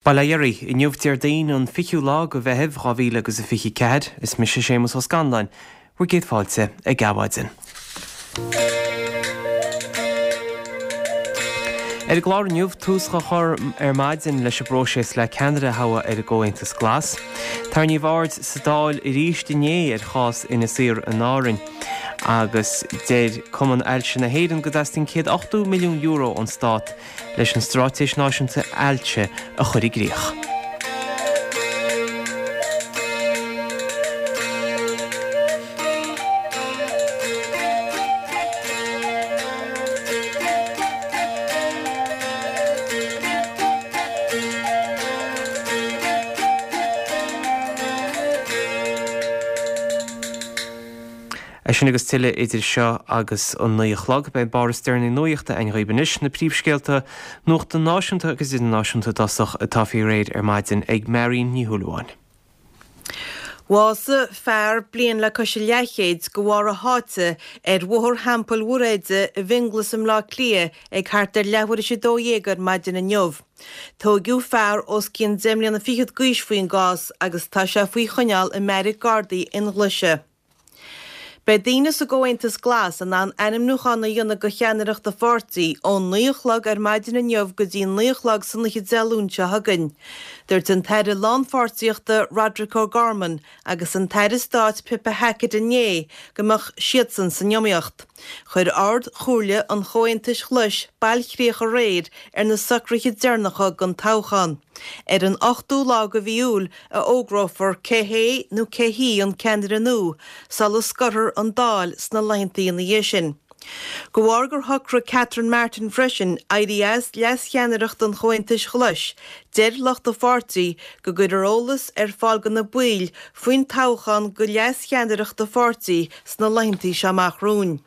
Bail ó Dhia oraibh, inniu Déardaoin an 20ú lá de Mheitheamh 2000 agus a 24, is mise Séamus Ó Scanláin, bhur gcéad fáilte ag Adhmhaidin. Ar an gclár inniu, tús á chur ar maidin leis an bpróiseas le ceannaire a thoghadh ar an gComhaontas Glas. Tarraingíodh aird sa Dáil arís inné ar chás Inis Oírr in Árainn. Agus deir Cumann Ailse na hÉireann go dteastaíonn €180 milliún ón stát leis an Straitéis Náisiúnta Ailse a chur i gcrích. É sin agus tuilleadh idir seo agus an 9 a chlog. Beidh an barr is deireanaí nuachta againn dhaoibh anois, na príomhscéalta nuachta náisiúnta agus idirnáisiúnta i dtosach atá faoi réir ar maidin ag Marion Ní Shúilleabháin. Bhásaigh fear bliain le cois a leathchéid de bharr a sháite ar Bhóthar Theampall Mhuirthead i bhFionnghlas i mBleá Cliath ag thart ar leathuair théis 12 ar maidin inniu. Tóigeadh fear os cionn deich mbliana fichead d'aois faoin gcás agus tá sé faoi choinneáil i mbeairic Gardaí Fhionnghlaise. Beidh daoine sa gComhaontas Glas in ann ainmniúchán a dhéanamh do cheannaireacht a pháirtí ón 9 a chlog ar maidin inniu go dtí 9 a chlog san oíche Dé Luain seo chugainn. Dúirt an tAire Lánpháirtíochta Roderic O'Gorman agus an tAire Stáit Pippa Hackett inné go mbeadh siadsan san iomaíocht. Chuir Ard-Chomhairle an Chomhaontais Ghlais bailchríoch aréir ar na socruithe deireanacha don toghchán. Ar an ochtú lá de mhí Iúil a fhógrófar cé hé nó cé hí an ceannaire nua sula scoirfear an Dáil sna laethanta ina dhiaidh sin. De bharr gur shocraigh Catherine Martin freisin éirí as leascheannaireacht an Chomhaontais Ghlais, deir lucht a pháirtí go gcuirfear eolas ar fáil do na baill faoin toghchán do leascheannaireacht a pháirtí sna laethanta seo amach romhainn.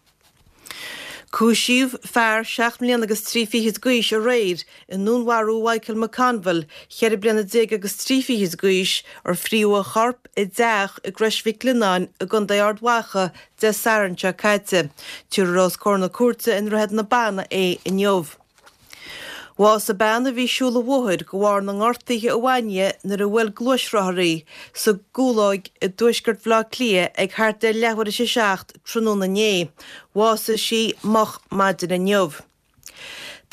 Cúisíodh fear 7 mbliana agus 3 fichid d'aois aréir i ndúnmharú Mhichael McConville, 14 bliana agus 3 fichid d'aois, ar fríodh a chorp i dteach i gCrois Mhic Lionnáin i gContae Ard Mhacha Dé Sathairn seo caite. Tabharfar os comhair na cúirte i nDroichead na Banna é inniu. Bhásaigh bean a bhí ag siúl an bhóthair de bharr na ngortuithe a bhain di nuair a bhuail gluaisrothar í sa gCúlóig i dtuaisceart Bhaile Átha Cliath ag thart ar leathuair théis a 7 tráthnóna inné. Bhásaigh sí moch maidin inniu.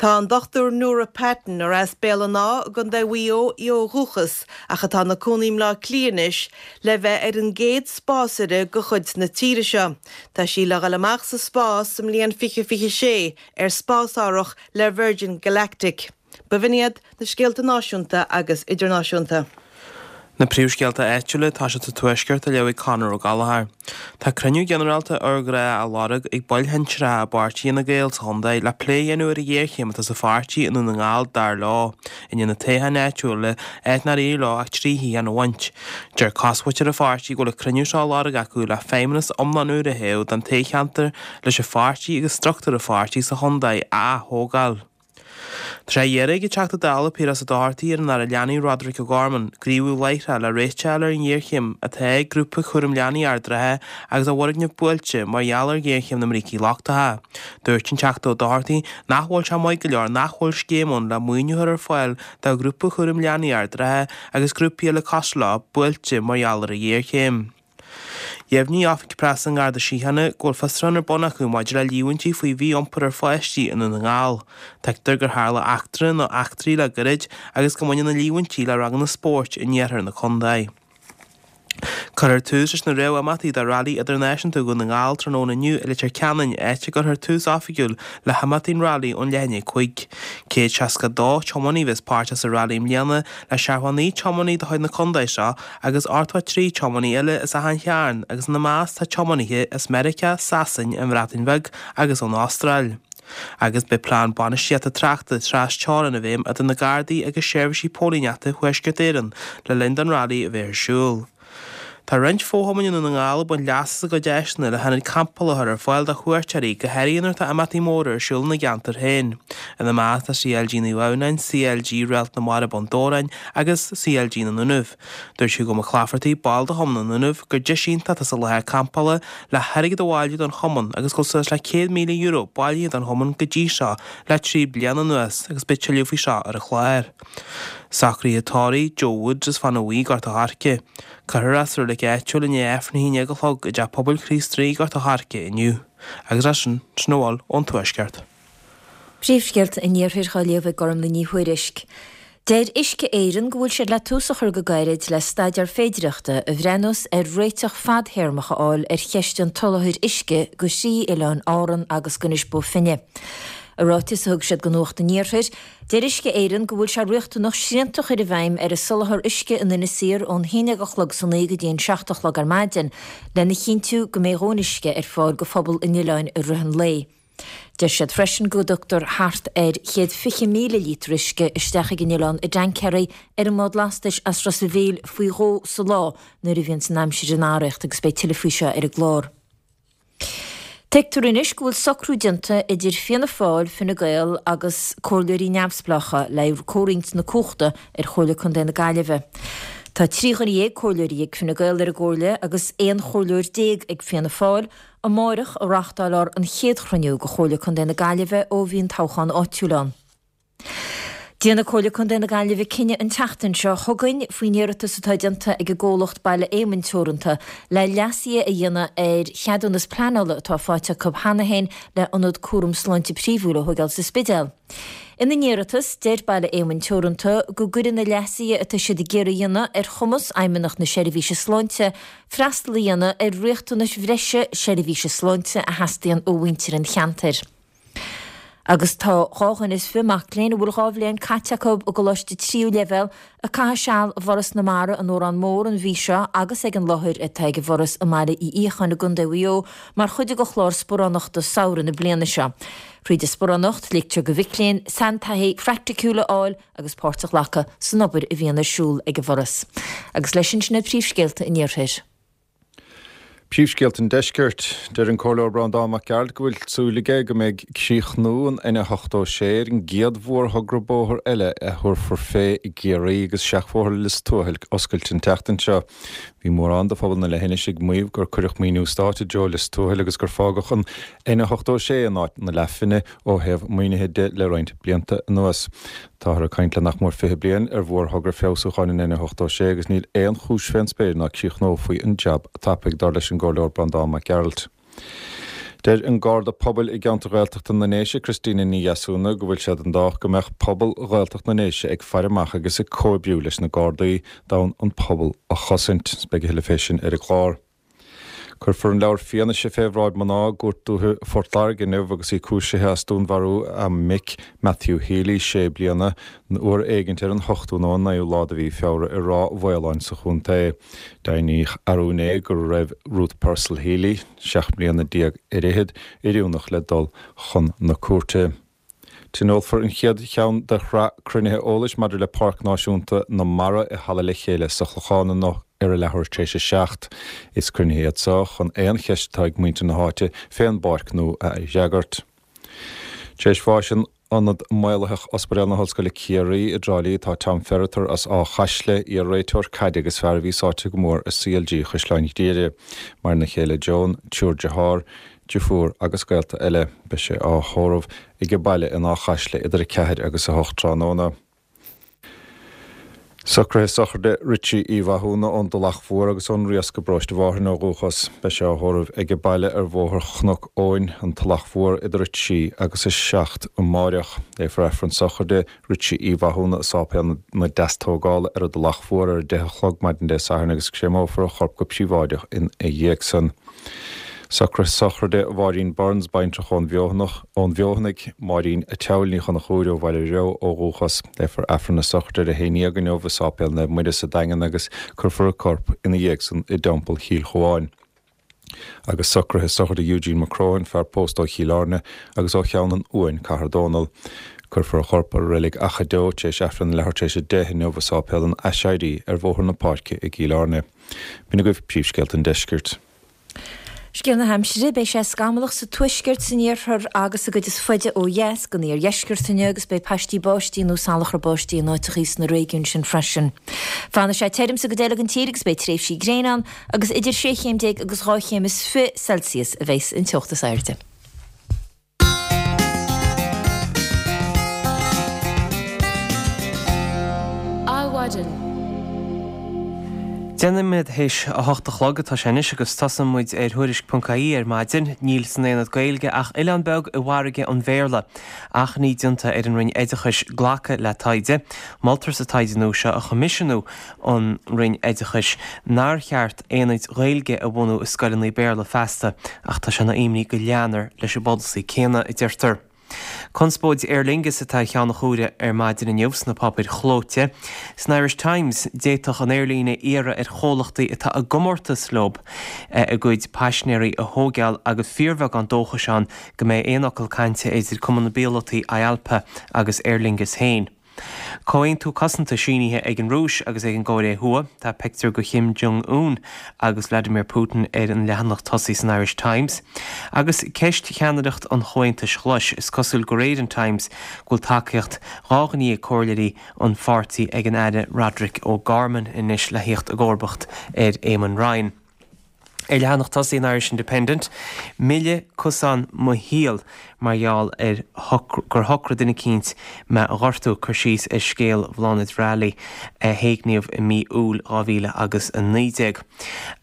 Tá an Dr Nora Patton, ar as Béal an Átha i gContae Mhaigh Eo í ó dhúchas ach atá ina cónaí i mBleá Cliath anois, le bheith ar an gcéad spásaire de chuid na tíre seo. Tá sí le dhul amach sa spás sa mbliain 2026 ar spásárthach le Virgin Galactic. B'in iad na scéalta náisiúnta agus idirnáisiúnta. Na príomhscéalta áitiúla atá sa Tuaisceart á léamh ag Conor Ó Gallchóir. Tá cruinniú ginearálta urghnách á lorg ag baill shinsearacha i bpáirtí Fhine Gael sa chontae le plé a dhéanamh ar an ghéarchéim atá sa pháirtí i nDún na nGall dar leo, i ndiaidh na toghcháin áitiúla, áit nár éirigh leo ach 3 shuíochán a bhaint. Deir cosmhuintir an pháirtí go bhfuil an cruinniú seo á lorg acu le feidhmeannas iomlán úr a thoghadh don toghcheantar leis an pháirtí agus struchtúr an pháirtí sa chontae a ath-thógáil. Tá sé á iarraidh ag an Teachta Dála Piaras Ó Dochartaigh ar an Aire Leanaí Roderic O'Gorman gníomhú láithreach le réiteach a fháil ar an ngéarchéim atá ag Grúpa Cúraim Leanaí Ard an Rátha agus a bhfoirgneamh buailte mar gheall ar ghéarchéim na mbrící lochtacha. Dúirt an Teachta Ó Dochartaigh nach bhfuil sé maith go leor nach bhfuil scéim ann le maoiniú a chur ar fáil do Ghrúpa Chúraim Leanaí Ard an Rátha agus grúpaí eile cosúil leo buailte mar gheall ar an ghéarchéim. Dheimhnigh Oifig Preasa an Gharda Síochána go bhfuil fiosrúchán ar bun acu maidir le líomhaintí faoi mhí-iompar ar pháistí i nDún na nGall. Tuigtear gur tharla eachtra nó eachtraí le gairid agus go mbaineann na líomhaintí le ranganna spóirt in iarthar na contae. Cuirfear tús leis na réamh-imeachtaí do Railí Idirnáisiúnta Dhún na nGall tráthnóna inniu i Leitir Ceanainn, áit a gcuirfear tús oifigiúil le himeachtaí an Railí ón leath i ndiaidh 5. 162 tiománaí a bheas páirteach sa Railí i mbliana, le 79 tiománaí de chuid na contae seo agus 83 tiománaí eile as achan chearn agus ina measc tá tiománaithe as Meiriceá, Sasain, an Bhreatain Bheag agus ón Astráil. Agus beidh plean bainistíochta tráchta tras teorann i bhfeidhm idir na Gardaí agus seirbhísí póilíneachta Thuaisceart Éireann le linn don Railí a bheith ar siúl. Tá roinnt fo-chumainn i nDún na nGall ag baint leas as a gcuid áiseanna le hionaid campála a chur ar fáil do chuairteoirí, go háirithe nuair atá imeachtaí móra ar siúl ina gceantar féin. Ina measc tá CLG Naomh Adhamhnáin, CLG Réalt na Mara Bun Dobhráin agus CLG na nDúnaibh. Dúirt Hugo Mac Laifeartaigh, ball de Chumann na nDúnaibh, gur deis iontach atá sa láthair campála le hairgead a bhailiú don chumann agus go bhfuil suas le €100,000 bailithe don chumann go dtí seo le 3 bliana anuas agus beidh tuilleadh faoi seo ar an chlár. Socruithe tórraimh, Joe Woods as Fana Bhuí, Gort a' Choirce. Cuirfear é sa reilig áitiúil i ndiaidh Aifreann a 11 a chlog i dTeach Pobail Chríost Rí, Gort a' Choirce inniu. Agus é sin, sin a bhfuil ón Tuaisceart. Príomhscéalta an Iarthair á léamh ag Gormlaith Ní Thuairisg. Deir Uisce Éireann go bhfuil siad le tús a chur go gairid le staidéar féidireachta a bhreathnós ar réiteach fadthéarmach a fháil ar cheist an tsoláthair uisce go thrí oileán Árann agus go Inis Bó Finne. I ráiteas a thug siad do Nuacht an Iarthair, deir Uisce Éireann go bhfuil sé riachtanach srianta a chur i bhfeidhm ar an soláthar uisce in Inis Oírr ón haon déag a chlog san oíche go dtí an 7 a chlog ar maidin lena chinntiú go mbeidh a dhóthain uisce ar fáil go phobal an oileáin i rith an lae. Deir siad freisin go dtugtar thart ar 120,000 líotar uisce isteach ag an oileán i dtaincéirí ar an mbád lastais as Ros a' Mhíl faoi dhó sa lá nuair a bhíonns an aimsir in arracht agus beidh tuilleadh faoi seo ar an gclár. Tuigtear anois go bhfuil socrú déanta idir Fianna Fáil, Fine Gael agus comhairleoirí neamhspleácha le haghaidh comhroinnt na cumhachta ar Chomhairle Contae na Gaillimhe. Tá 13 dhuine comhairleoirí ag Fine Gael ar an gcomhairle agus 11 chomhairleoir ag Fianna Fáil, Amáireach a reáchtálfar an chéad chruinniú de Chomhairle Contae na Gaillimhe ó bhí an toghchán áitiúil ann. Déanfaidh Comhairle Contae na Gaillimhe cinneadh an tseachtain seo chugainn faoin iarratas atá déanta ag an gcomhlacht Baile Éamainn Teoranta le leasuithe a dhéanamh ar cheadúnas pleanála atá faighte acu cheana féin le ionad cúram sláinte príomhúil a thógáil sa Spidéal. Ina n-iarratas, deir Baile Éamainn Teoranta go gcuirfidh na leasuithe atá siad ag iarraidh a dhéanamh ar chumas Fheidhmeannacht na Seirbhíse Sláinte freastal a dhéanamh ar riachtanais bhreise seirbhíse sláinte a theastaíonn ó mhuintir an cheantair. Agus tá 22 dhuine mac léinn a bhfuil 2 bhliain caite acu i gcoláiste tríú leibhéal ag caitheamh seal i bhForas na Mara in Órán Mór an mhí seo agus ag an láthair atá ag an bhForas i mBaile Uí Fhiacháin i gContae Mhaigh Eo mar chuid de chlár sparánachta samhraidh na bliana seo. Thríd an sparánacht, ligtear do mhic léinn saintaithí phraiticiúil a fháil agus páirt a ghlacadh san obair a bhíonn ar siúl ag an bhForas. Agus leis sin, sin iad príomhscéalta an Iarthair. Príomhscéalta an Deiscirt. Deir an Comhairleoir Breandán Mac Gearailt go bhfuil súil aige go mbeidh críochnú an N86 ar an gcéad mhórthogra bóthair eile a thabharfar fé i gCiarraí agus seachbhóthar Lios Tuathail oscailte an tseachtain seo. Bhí mórán de phobal na leithinise ag maíomh gur cuireadh maoiniú stáit i dtreo Lios Tuathail agus gur fágadh an N86 in áit na leathphingne ó thaobh maoinithe de le roinnt blianta anuas. Táthar ag caint le nach mór 20 bliain ar mhórthogra feabhsúcháin an N86 agus níl aon chúis fén spéir ná críochnófaí an jab tapaidh, dar leis an gComhairleoir Breandán Mac Gearailt. Deir an Garda Pobail i gceantar Ghaeltachta na nDéise, Christina Ní Dheasúna, go bhfuil sé den dádh go mbeadh pobal Ghaeltacht na nDéise ag faire amach agus ag comhoibriú leis na Gardaí d'fhonn an pobal a chosaint. Beidh a thuilleadh fé sin ar an gclár. Cuirfear an leabhar fianaise fé bhráid mná i gCúirt Dúiche Phort Láirge inniu agus í cúisithe as dúnmharú a mic, Matthew Healy, sé bliana, uair éigint ar an ochtú nó an naoú lá de mhí Feabhra i Ráth Mhaoláin sa chontae. Deimhníodh arú inné go raibh Ruth Purcell Healy, 17 mbliana ar fhichead, oiriúnach le dul chun na cúirte. Tionólfar an chéad cheann de shraith cruinnithe eolais maidir le Páirc Náisiúnta na Mara i Halla Le Chéile sa Chlochán inniu ar a leathuair tar éis a 7. Is cruinnithe iad seo chun aon cheist atá ag muintir na háite fén bpáirc nua a fhreagairt. Tar éis bháis in Ionad Maolaitheach Ospidéal na hOllscoile Ciarraí i dTrá Lí tá Tom Ferriter as Áth Chaisle, iar-réiteoir caide agus fear a bhí sáite go mór i CLG Chaisleáin Ghriaire. Maireann a chéile Joan, triúr dearthár, deirfiúr agus gaolta eile. Beidh sé á thórramh aige baile in Áth Chaisle idir 4 agus 8 tráthnóna. Socruithe sochraide Richie Uí Mhathúna ón dTulach Mhór agus ón Riasc i bParóiste Mhárthain ó dhúchas. Beidh sé á thórramh aige baile ar Bhóthar Chnoc Eoin, an Tulach Mhór idir 3 agus 7 amáireach. Léifear Aifreann sochraide Richie Uí Mhathúna i Sáipéal na Deastógála ar an dTulach Mhór ar 10 a chlog maidin Dé Sathairn agus créamófar a chorp go príobháideach ina dhiaidh san. Socruithe sochraide Mháirín Burns, baintreach ón Bhfeothanaigh, ón bhFeothanaigh, Máirín a' tSeabhail Ní Chonchúir ó Bhaile Reo ó dhúchas. Léifear Aifreann a sochraide ar a haon dhéag inniu i Sáipéal Naomh Muire sa Daingean agus cuirfear a corp ina dhiaidh san i dTeampall Chill Chuáin. Agus socruithe sochraide Eugene McCrohan, fear pósta ó Chill Airne agus ó Cheann an Uain, Cathair Dónall. Cuirfear a chorp i Reilig Achadh Deo tar éis Aifreann a leathuair tar éis a deich inniu i Sáipéal an Aiséirí ar Bhóthar na Páirce i gCill Airne. B'in agaibh príomhscéalta an deiscirt. Scéal na haimsire, Beidh sé scamallach sa tuaisceart, san iarthar agus sa gcuid is faide ó dheas den iardheisceart inniu agus beidh paistí báistí nó salachar báistí in áiteachaí sna réigiúin sin freisin. Fanfaidh sé tirim sa gcuid eile den tír agus beidh tréimhsí gréine ann agus idir sé chéim déag agus 2 chéim is 20 Celsius a bheas an teocht is airde. Maidin. 10 nóiméad théis a hocht a chlog atá sé anois agus tosaíonn muid ar Thuairisc.ie ar maidin. Níl san Aonad Gaeilge ach oileán beag i bhfarraige an Bhéarla. Achainí déanta ar an Roinn Oideachais glacadh le taighde. Moltar sa taighde nua seo a choimisiúnú ón Roinn Oideachais nár cheart aonaid Ghaeilge a bhunú i scoileanna Béarla feasta ach tá sé ina imní go leanfar leis an bpolasaí céanna, a deirtear. Conspóid Aer Lingus atá ar cheann an chomhaire ar maidin inniu sna páipéir chlóite. San Irish Times, d'fhéadfadh an aerlíne iarraidh ar chomhlachtaí atá i gcomórtas leo a gcuid paisinéirí a thóigeáil agus fíorbheagán dóchais ann go mbeidh aon fhocal cainte idir Cumann na bPíolótaí IALPA agus Aer Lingus féin. Comhaontú cosanta sínithe ag an Rúis agus ag an gCóiré Thuaidh. Tá pictiúr de Kim Jong Un agus Vladimir Putin ar an leathanach tosaigh san Irish Times. Agus ceist cheannaireacht an Chomhaontais Ghlais, is cosúil de réir an Times go bhfuil tacaíocht dhá ghné ag comhairleoirí an pháirtí ag an Aire Roderic O'Gorman anois le theacht i gcomharbacht ar Eamon Ryan. Ar leathanach tosaigh an Irish Independent, milleadh cosán mo shaoil mar gheall ar gur shocraigh duine eicínt mé a ghortú, cur síos ar scéal Bhláthnaid Reilly a héigníodh i mí Iúil 2000 agus 19.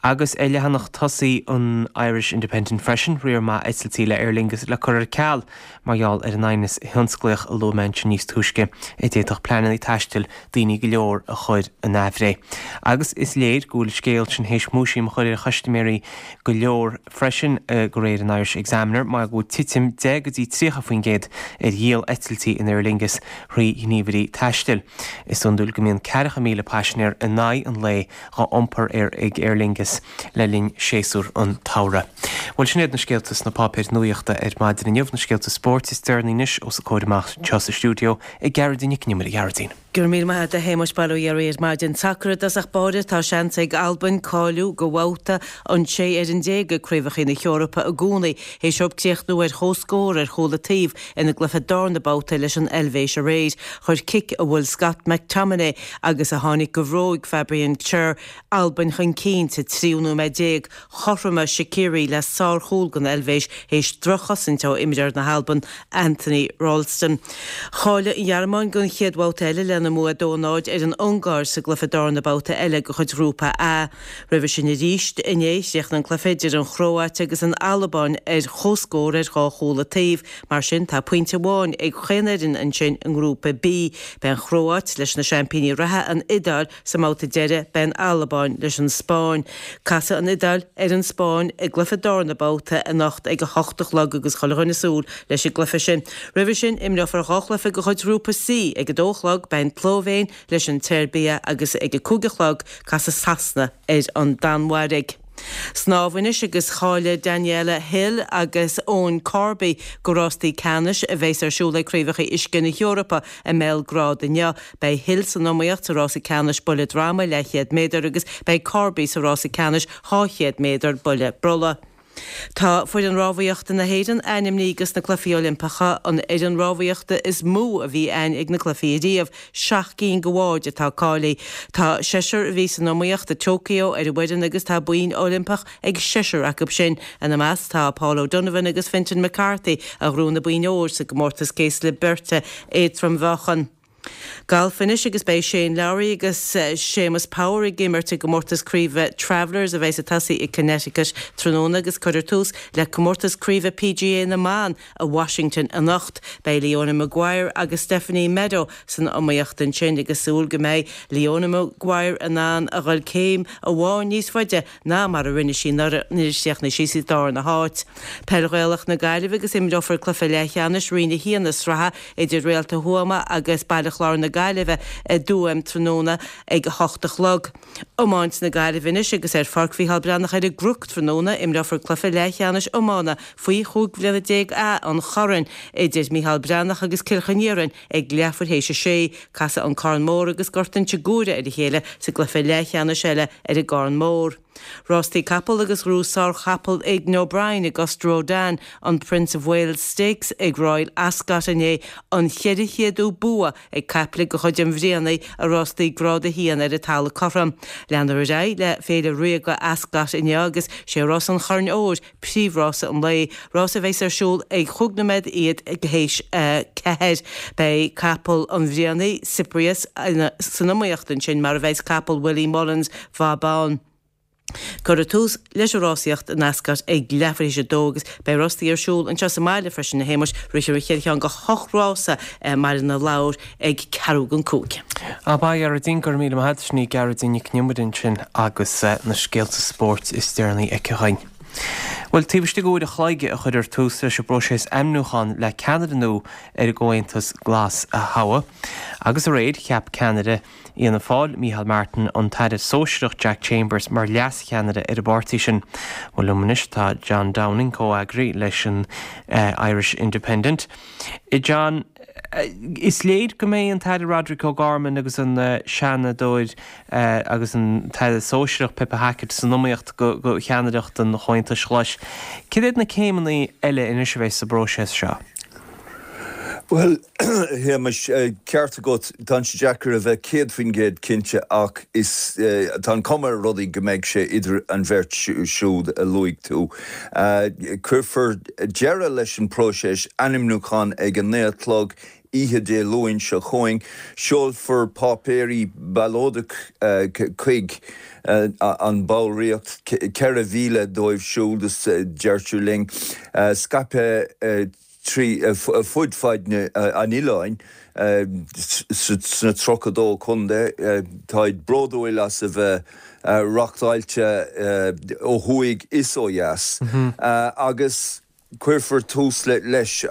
Agus ar leathanach tosaigh an Irish Independent freisin, riar maith eitiltí le Aer Lingus le cur ar ceal mar gheall ar an aighneas thionsclaíoch a luaigh mé ansin níos túisce, a d'fhéadfadh pleananna taistil daoine go leor a chur in aimhréidh. Agus is léir go bhfuil an scéal sin théis múisiam a chur ar chustaiméirí go leor freisin, de réir an Irish Examiner, mar go bhfuil titim 10 go dtí 30% ar dhíol eitiltí in Aer Lingus thrí ghníomhairí taistil. Is iondúil go mbíonn 40,000 paisinéir in aghaidh an lae á iompar ar ag Aer Lingus le linn séasúr an tsamhraidh. Bhuel, sin iad na scéalta sna páipéir nuaíochta ar maidin inniu. Na scéalta spóirt is deireanaí anois os a comhair amach anseo sa stiúideo ag Gearóidín Nic Con Iomaire. A Ghearóidín. Go raibh míle maith agat a Shéamuis, bail ó Dhia oraibh ar maidin. Sacar i dtosach báire, tá seans ag Albain cáiliú go bhabhta an 16 fhoireann ag Craobhacha na hEorpa i gcónaí théis dóibh críochnú ar chomhscór ar chúl an taobh ina gcluiche darna babhta leis an Eilvéis aréir. Chuir cic a bhuail Scott McTominay agus a tháinig go bhróig Fabian Schär Albain chun cinn sa tríú nóiméad déag. Chothromaigh Shaqiri le sárchúl don Eilvéis théis droch-chosaint ó imreoir na hAlban, Anthony Ralston. Cháiligh an Ghearmáin don chéad bhabhta eile lena mbua 2-0 ar an Ungáir sa gcluiche darna babhta eile de chuid Ghrúpa A. Roimhe sin arís inné, chríochnaigh an cluiche idir an Chróáit agus an Albáin ar chomhscór ar dhá chúl an taobh. Mar sin, tá pointe amháin ag chaon fhoireann ansin i nGrúpa B. Beidh an Chróáit leis na seaimpíní reatha, an Iodáil, sa mbabhta deiridh, beidh an Albáin leis an Spáinn. Casfaidh an Iodáil ar an Spáinn i gcluiche darna babhta anocht ag a hocht a chlog agus chuile dhuine ag súil leis an gcluiche sin. Roimhe sin, imreofar dhá chluiche de chuid Ghrúpa C. Ag a dó a chlog, beidh an tSlóivéin leis an tSeirbia agus ag a cúig a chlog, casfaidh Sasana ar an Danmhairg. Snámh anois agus cháiligh Daniela Hill agus Eoin Corby go rástaí ceannais a bheas ar siúl ag Craobhacha Uisce na hEorpa i mBéalgrád inniu. Beidh Hill san iomaíocht sa rása ceannais buille droma leathchéad méadar agus beidh Corby sa rása ceannais 200 méadar buille brollaigh. Tá foireann rámhaíochta na hÉireann ainmnithe dos na Cluichí Oilimpeacha, an fhoireann rámhaíochta is mó a bhí a'inn ag na cluichí ariamh, seacht gcinn de bháid atá cáilithe. Tá seisear a bhí san iomaíocht i Tokyo ar an bhfoireann agus tá boinn Oilimpeach ag seisear acu sin. Ina measc tá Paul O'Donovan agus Fintan McCarthy a ghnóthaigh na boinn óir sa gcomórtas céaslaí beirte éadrom-mheáchan. Galf anois agus beidh Shane Lowry agus Séamus Power ag imirt i gcomórtas craoibhe Travelers a bheas ag tosaí i Connecticut tráthnóna agus cuirfear tús le comórtas craoibhe PGA na mban i Washington anocht. Beidh Leona Maguire agus Stephanie Meadow san iomaíocht ansin agus súil go mbeidh Leona Maguire in ann a dhul céim amháin níos faide ná mar a rinne sí nuair a chríochnaigh sí sa darna háit. Peil Ghaelach na Gaillimhe agus imreofar cluiche leathcheannais Roinn 1 na sraithe idir Réalta Thuama agus Baile Chláir na Gaillimhe i dTuaim tráthnóna ag a hocht a chlog. Iomáint na Gaillimhe anois agus ar Pháirc Mhícheál Breathnach ar an gCnoc tráthnóna imreofar cluiche leathcheannais iomána faoi 15 bhliana A an Choirn idir Mícheál Breathnach agus Cill Chinn Iarainn ag leathuair théis a sé. Casfaidh an Carn Mór agus Gort Inse Guaire ar a chéile sa gcluiche leathcheannais eile ar an gCarn Mór. Rástaí capall agus ghnóthaigh sárchapall Aidan O'Brien ag Auguste Rodin an Prince of Wales Stakes ag Royal Ascot inné, an 400ú bua ag caiple de chuid an Bhrianaigh i rástaí Grád 1 ar an talamh cothrom. Leanfar ar aghaidh le Féile Ríoga Ascot inniu agus sé rás an Choirn Óir príomhrása an lae, rás a bheas ar siúl ag chúig nóiméad iad théis a 4. Beidh capall an Bhrianaigh, Cyprius, san iomaíocht ansin, mar a bheas capall Willie Mullins, Vauban. Cuirfear tús leis an rásaíocht in Ascot ag leathuair théis a dó agus beidh rástaí ar siúl anseo sa mbaile freisin, a Shéamais, rithfear an chéad cheann de hocht rása i mBaile na Lobhar ag ceathrú don cúig. Ab ea, a Ghearóidín, go raibh míle maith agat. Sin í Gearóidín Nic an Iomaire ansin agus na scéalta spóirt is deireanaí aici dhuinn. Bhuel, taobh istigh d'uair a chloig a chuirfear tús leis an bpróiseas ainmniúcháin le ceannaire nua ar an gComhaontas Glas a thoghadh. Agus aréir, cheap ceannaire Fhianna Fáil, Micheál Martin, an tAire Sóisearach Jack Chambers mar leascheannaire ar an bpáirtí sin. Bhuel, liom anois tá John Downing, comheagraí leis an Irish Independent. John, is léir go mbeidh an tAire Roderic O'Gorman agus an Seanadóir agus an tAire Sóisearach Pippa Hackett san iomaíocht do cheannaireacht an Chomhaontais Ghlais. Cad iad na céimeanna eile anois a bheidh sa bpróiseas seo? Bhuel, a Shéamais, ceart agat, tá sé deacair a bheith 100% cinnte ach is, tá an chuma ar rudaí go mbeidh sé idir an bheirt siúd a luaigh tú. Cuirfear deireadh leis an bpróiseas ainmniúcháin ag a naoi a chlog oíche Dé Luain seo chugainn. Seolfar páipéirí ballóide chuig an bhallraíocht, 4,000 dóibh siúd, deirtear linn, scaipthe fud fad an oileáin sna 32 contae. Táid bródúil as a bheith reachtáilte ó thuaidh is ó dheas agus cuirfear tús leis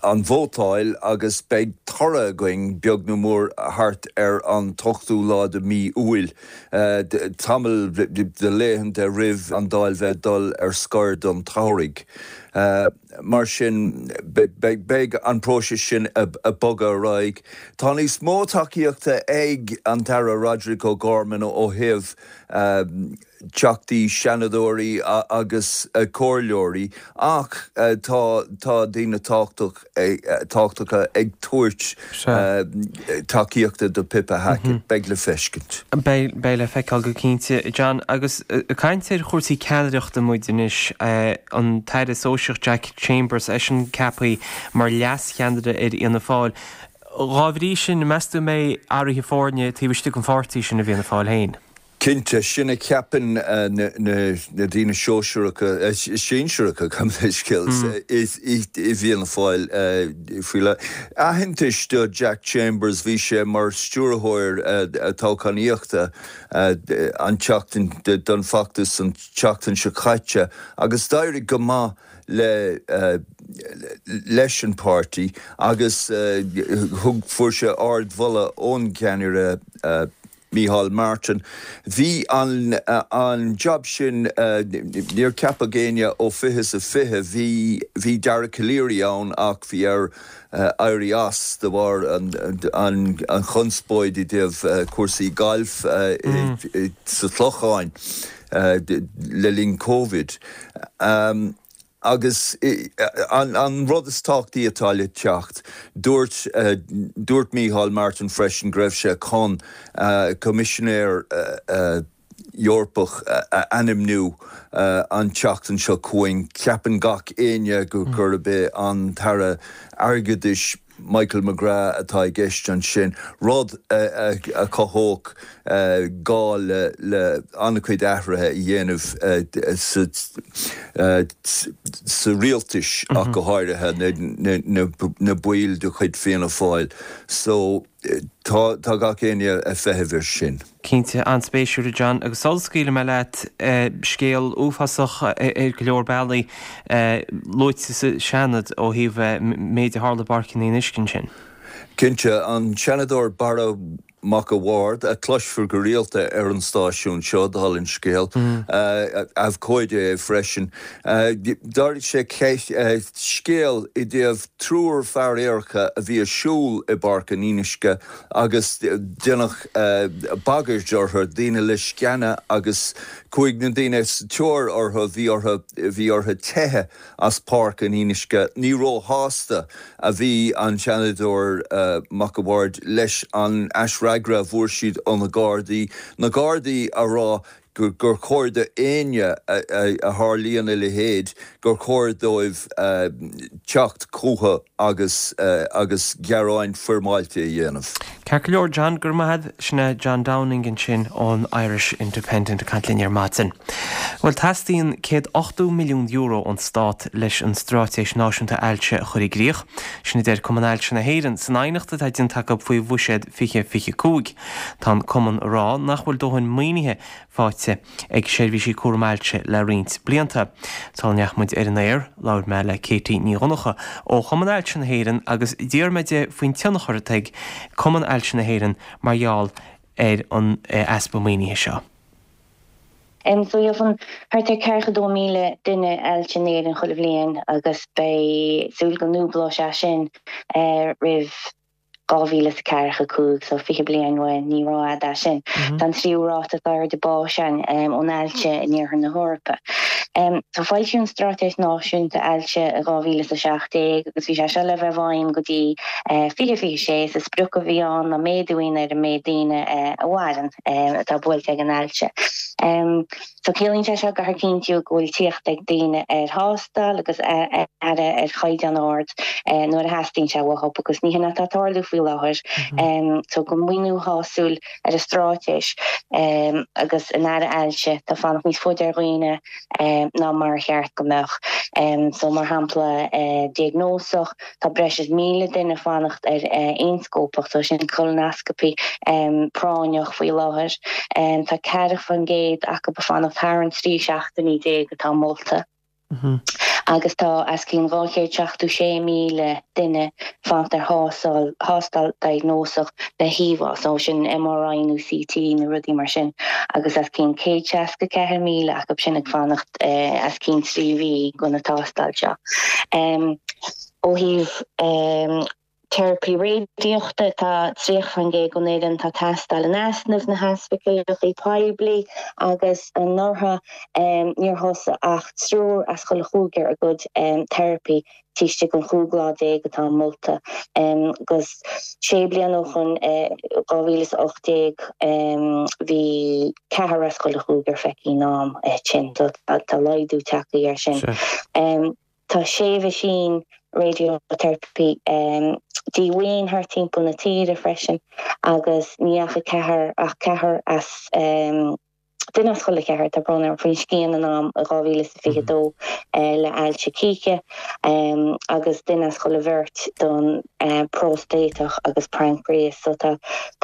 an vótáil agus beidh toradh againn beag nó mór thart ar an t-ochtú lá de mhí Iúil, tamall de laethanta roimh an Dáil bheith ag dul ar scor don tsamhraidh. Mar sin, beidh an próiseas sin ag bogadh ar aghaidh. Tá níos mó tacaíochta ag an tAire Roderic O'Gorman ó thaobh teachtaí, seanadóirí agus comhairleoirí ach tá daoine tábhachtacha ag tabhairt tacaíochta do Pippa Hackett. Beidh le feiscint. Beidh le feiceáil go cinnte, John. Agus ag caint ar chúrsaí ceannaireachta muid anois, an tAire Sóisearach Jack Chambers, eisean ceaptha mar leas-cheannaire ar Fhianna Fáil. Dhá bhrí sin, meas tú an mbeidh athruithe foirne taobh istigh den pháirtí sin i bhFianna Fáil féin? Cinnte, sin a cheapann na daoine sóisearacha, sinsearacha, gabh mo leithscéal, i bhFianna Fáil faoi láthair. Aitheantas do Jack Chambers, bhí sé mar stiúrthóir toghchánaíochta an tseachtain, don bhfeachtas an tseachtain seo caite agus d'éirigh go maith le leis an páirtí agus thug, fuair sé ardmholadh ón gceannaire Micheál Martin. Bhí an an jab sin, níor ceapadh éinne ó fiche is a fiche, bhí bhí Dara Calleary ann ach bhí air éirí as de bharr an an chonspóid i dtaobh cúrsaí gailf sa Chlochán le linn Covid. Agus an rud is tábhachtaí atá le teacht, dúirt dúirt Micheál Martin freisin go raibh sé chun Coimisinéir Eorpach a ainmniú an tseachtain seo chugainn. Ceapann gach éinne gurb é an tAire Airgeadais Michael McGrath atá i gceist ansin, rud a chothódh gá le an-chuid athruithe a dhéanamh sa rialtas ach go háirithe na baill de chuid Fianna Fáil. So tá gach éinne ag feitheamh air sin. Cinnte, an-spéisiúil a John. Agus sula scaoilfidh mé leat, scéal uafásach ar go leor bealaí luaite sa Seanad ó thaobh méid a tharla i bPáirc an Fhionnuisce ansin. Cinnte, an Seanadóir Barra. Mac a' Bhaird, a cloisfear go rialta ar an stáisiún seo, dála an scéil, abhcóide é freisin, d'ardaigh sé ceist, scéal i dtaobh triúr fear aeracha a bhí ag siúl i bPáirc an Fhionnuisce agus déanadh bagairt orthu, daoine le sceana agus chuaigh na daoine sa tóir orthu, bhí orthu, bhí orthu teitheadh as Páirc an Fhionnuisce. Ní róshásta a bhí an Seanadóir Mac a' Bhaird leis an aisfhreagra a bhfuair siad ó na Gardaí, na Gardaí a rá gur chóir do éinne a tharlaíonn a leithéid, gur chóir dóibh teacht chucu agus agus gearáin foirmeáilte a dhéanamh. Ceart go leor, John, go raibh maith agat. Sin é John Downing ansin ón Irish Independent ag caint linn ar maidin. Bhuel, teastaíonn €180 milliún ón Stát leis an Straitéis Náisiúnta Ailse a chur i gcrích. Sin a deir Cumann Ailse na hÉireann san aighneacht atá déanta acu faoi Bhuiséad 2025. Tá an Cumann ag rá nach bhfuil dóthain maoinithe faighte ag seirbhísí cúram ailse le roinnt blianta. Sula ndeachaigh muid ar an aer, labhair mé le Katie Ní Dhonncha ó Chumann Ailse na hÉireann agus d'iarr mé di faoin tionchar atá ag Cumann Ailse na hÉireann mar gheall ar an easpa maoinithe seo. So gheobhann thart ar 42,000 duine ailse in Éirinn chuile bhliain agus beidh súil go ndúblóidh sé sin roimh 2045, so 20 bliain uainn, ní rófhada é sin. Tá an tríú ráta is airde báis ann ón ailse in iarthar na hEorpa. So foilsíodh an Straitéis Náisiúnta Ailse i 2017 agus bhí sé seo le bheith i bhfeidhm go dtí 2026. Is sprioc a bhí ann ná méadú a dhéanamh ar an méid daoine a mhaireann atá buailte ag an ailse. So ciallaíonn sé seo go gcaithfear cinntiú go bhfuil tíocht ag daoine ar thástáil agus aire ar chaighdeán ard nuair a theastaíonn sé uathu agus ní hin atá ag tarlú faoi láthair. So gan maoiniú shásúil ar an stráitéis agus an aire ailse tá fanacht níos faide ar dhaoine ná mar a cheart go mbeadh. So mar shampla diagnósach, Tá breis is 1,000 duine ag fanacht ar ionscópacht, so sin colonoscopy, práinneach faoi láthair. Tá 40% acu ag fanacht thar an 13 seachtainí atá molta. Agus tá os cionn 276,000 duine ag fanacht ar thástáil, thástáil diagnósach le híomhá, so sin MRI nó CT nó rudaí mar sin, agus os cionn 164,000 acu sin ag fanacht os cionn 3 mhí do na tástáil seo. Ó thaobh teiripí radaíochta, tá 30% den fhoireann atá ag teastáil in easnamh sna hospidéalacha poiblí agus anuraidh níor thosaigh ach triúr as chuile chúigear a gcuid teiripí taobh istigh den 15 lá atá molta agus sé bliana ó shoin, 2018, bhí ceathrar as chuile chúigear feicthe in am tinn. So tá laghdú tagtha air sin. Tá sé mheaisín radiotherapy díomhaoin thart timpeall na tíre freisin agus ní dheachaigh ceathrar ach ceathrar as duine as chuile cheathrar, tá brón orm, faoin scian in am i 2022 le ailse cíche agus duine as chuile bheirt don próstatach agus pancreas. So tá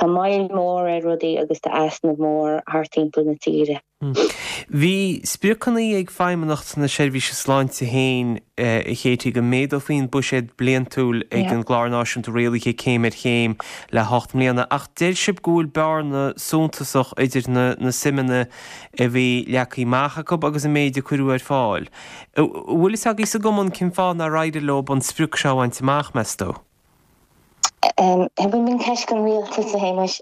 moill mhór ar rudaí agus tá easnamh mór thart timpeall na tíre. Bhí spriocanna ag Feidhmeannacht na Seirbhíse Sláinte féin, a Katie, go méadófaí an buiséad bliantúil ag an gClár Náisiúnta Rialaithe céim ar chéim le hocht mbliana, ach deir sibh go bhfuil bearna suntasach idir na suimeanna a bhí leagtha amach acu agus an méid a cuireadh ar fáil. An bhfuil fhios agaibh sa gcumann cén fáth nár éirigh leo an sprioc seo a bhaint amach, meas tú? B'in ceist don rialtas, a Shéamais.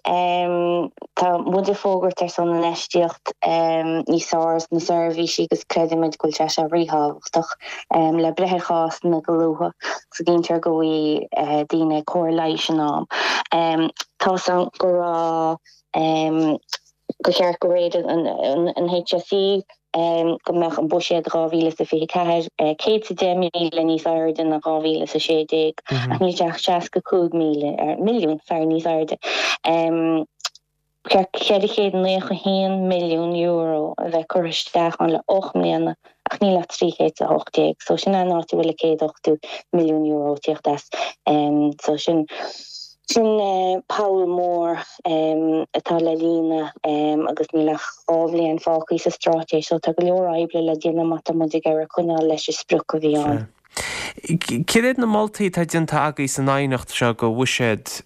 Tá muid ag fógairt ar son infheistíocht níos fearr sna seirbhísí agus creidimid go bhfuil sé seo ríthábhachtach le breith ar chásanna go luath agus go gcinntear go bhfaighidh daoine cóir leighis in am. Tá's agam go raibh gur cheart de réir an HSE go mbeadh an buiséad 2024 110,000 níos airde ná 2016 ach níl sé ach 65,000, milliún, sorry, níos airde. Ba cheart €491 milliún a bheith curtha isteach ann le 8 mbliana ach níl ach 318 so sin an áit a bhfuil €180 milliún ag tíocht as. So sin Sin poll mór atá le líonadh agus níl ach 2 bhliain fágtha sa straitéis so tá go leor oibre le déanamh má tá muid ag iarraidh coinneáil leis an sprioc a bhí ann. Céard iad na moltaí atá déanta agaibh san aighneacht seo do bhuiséad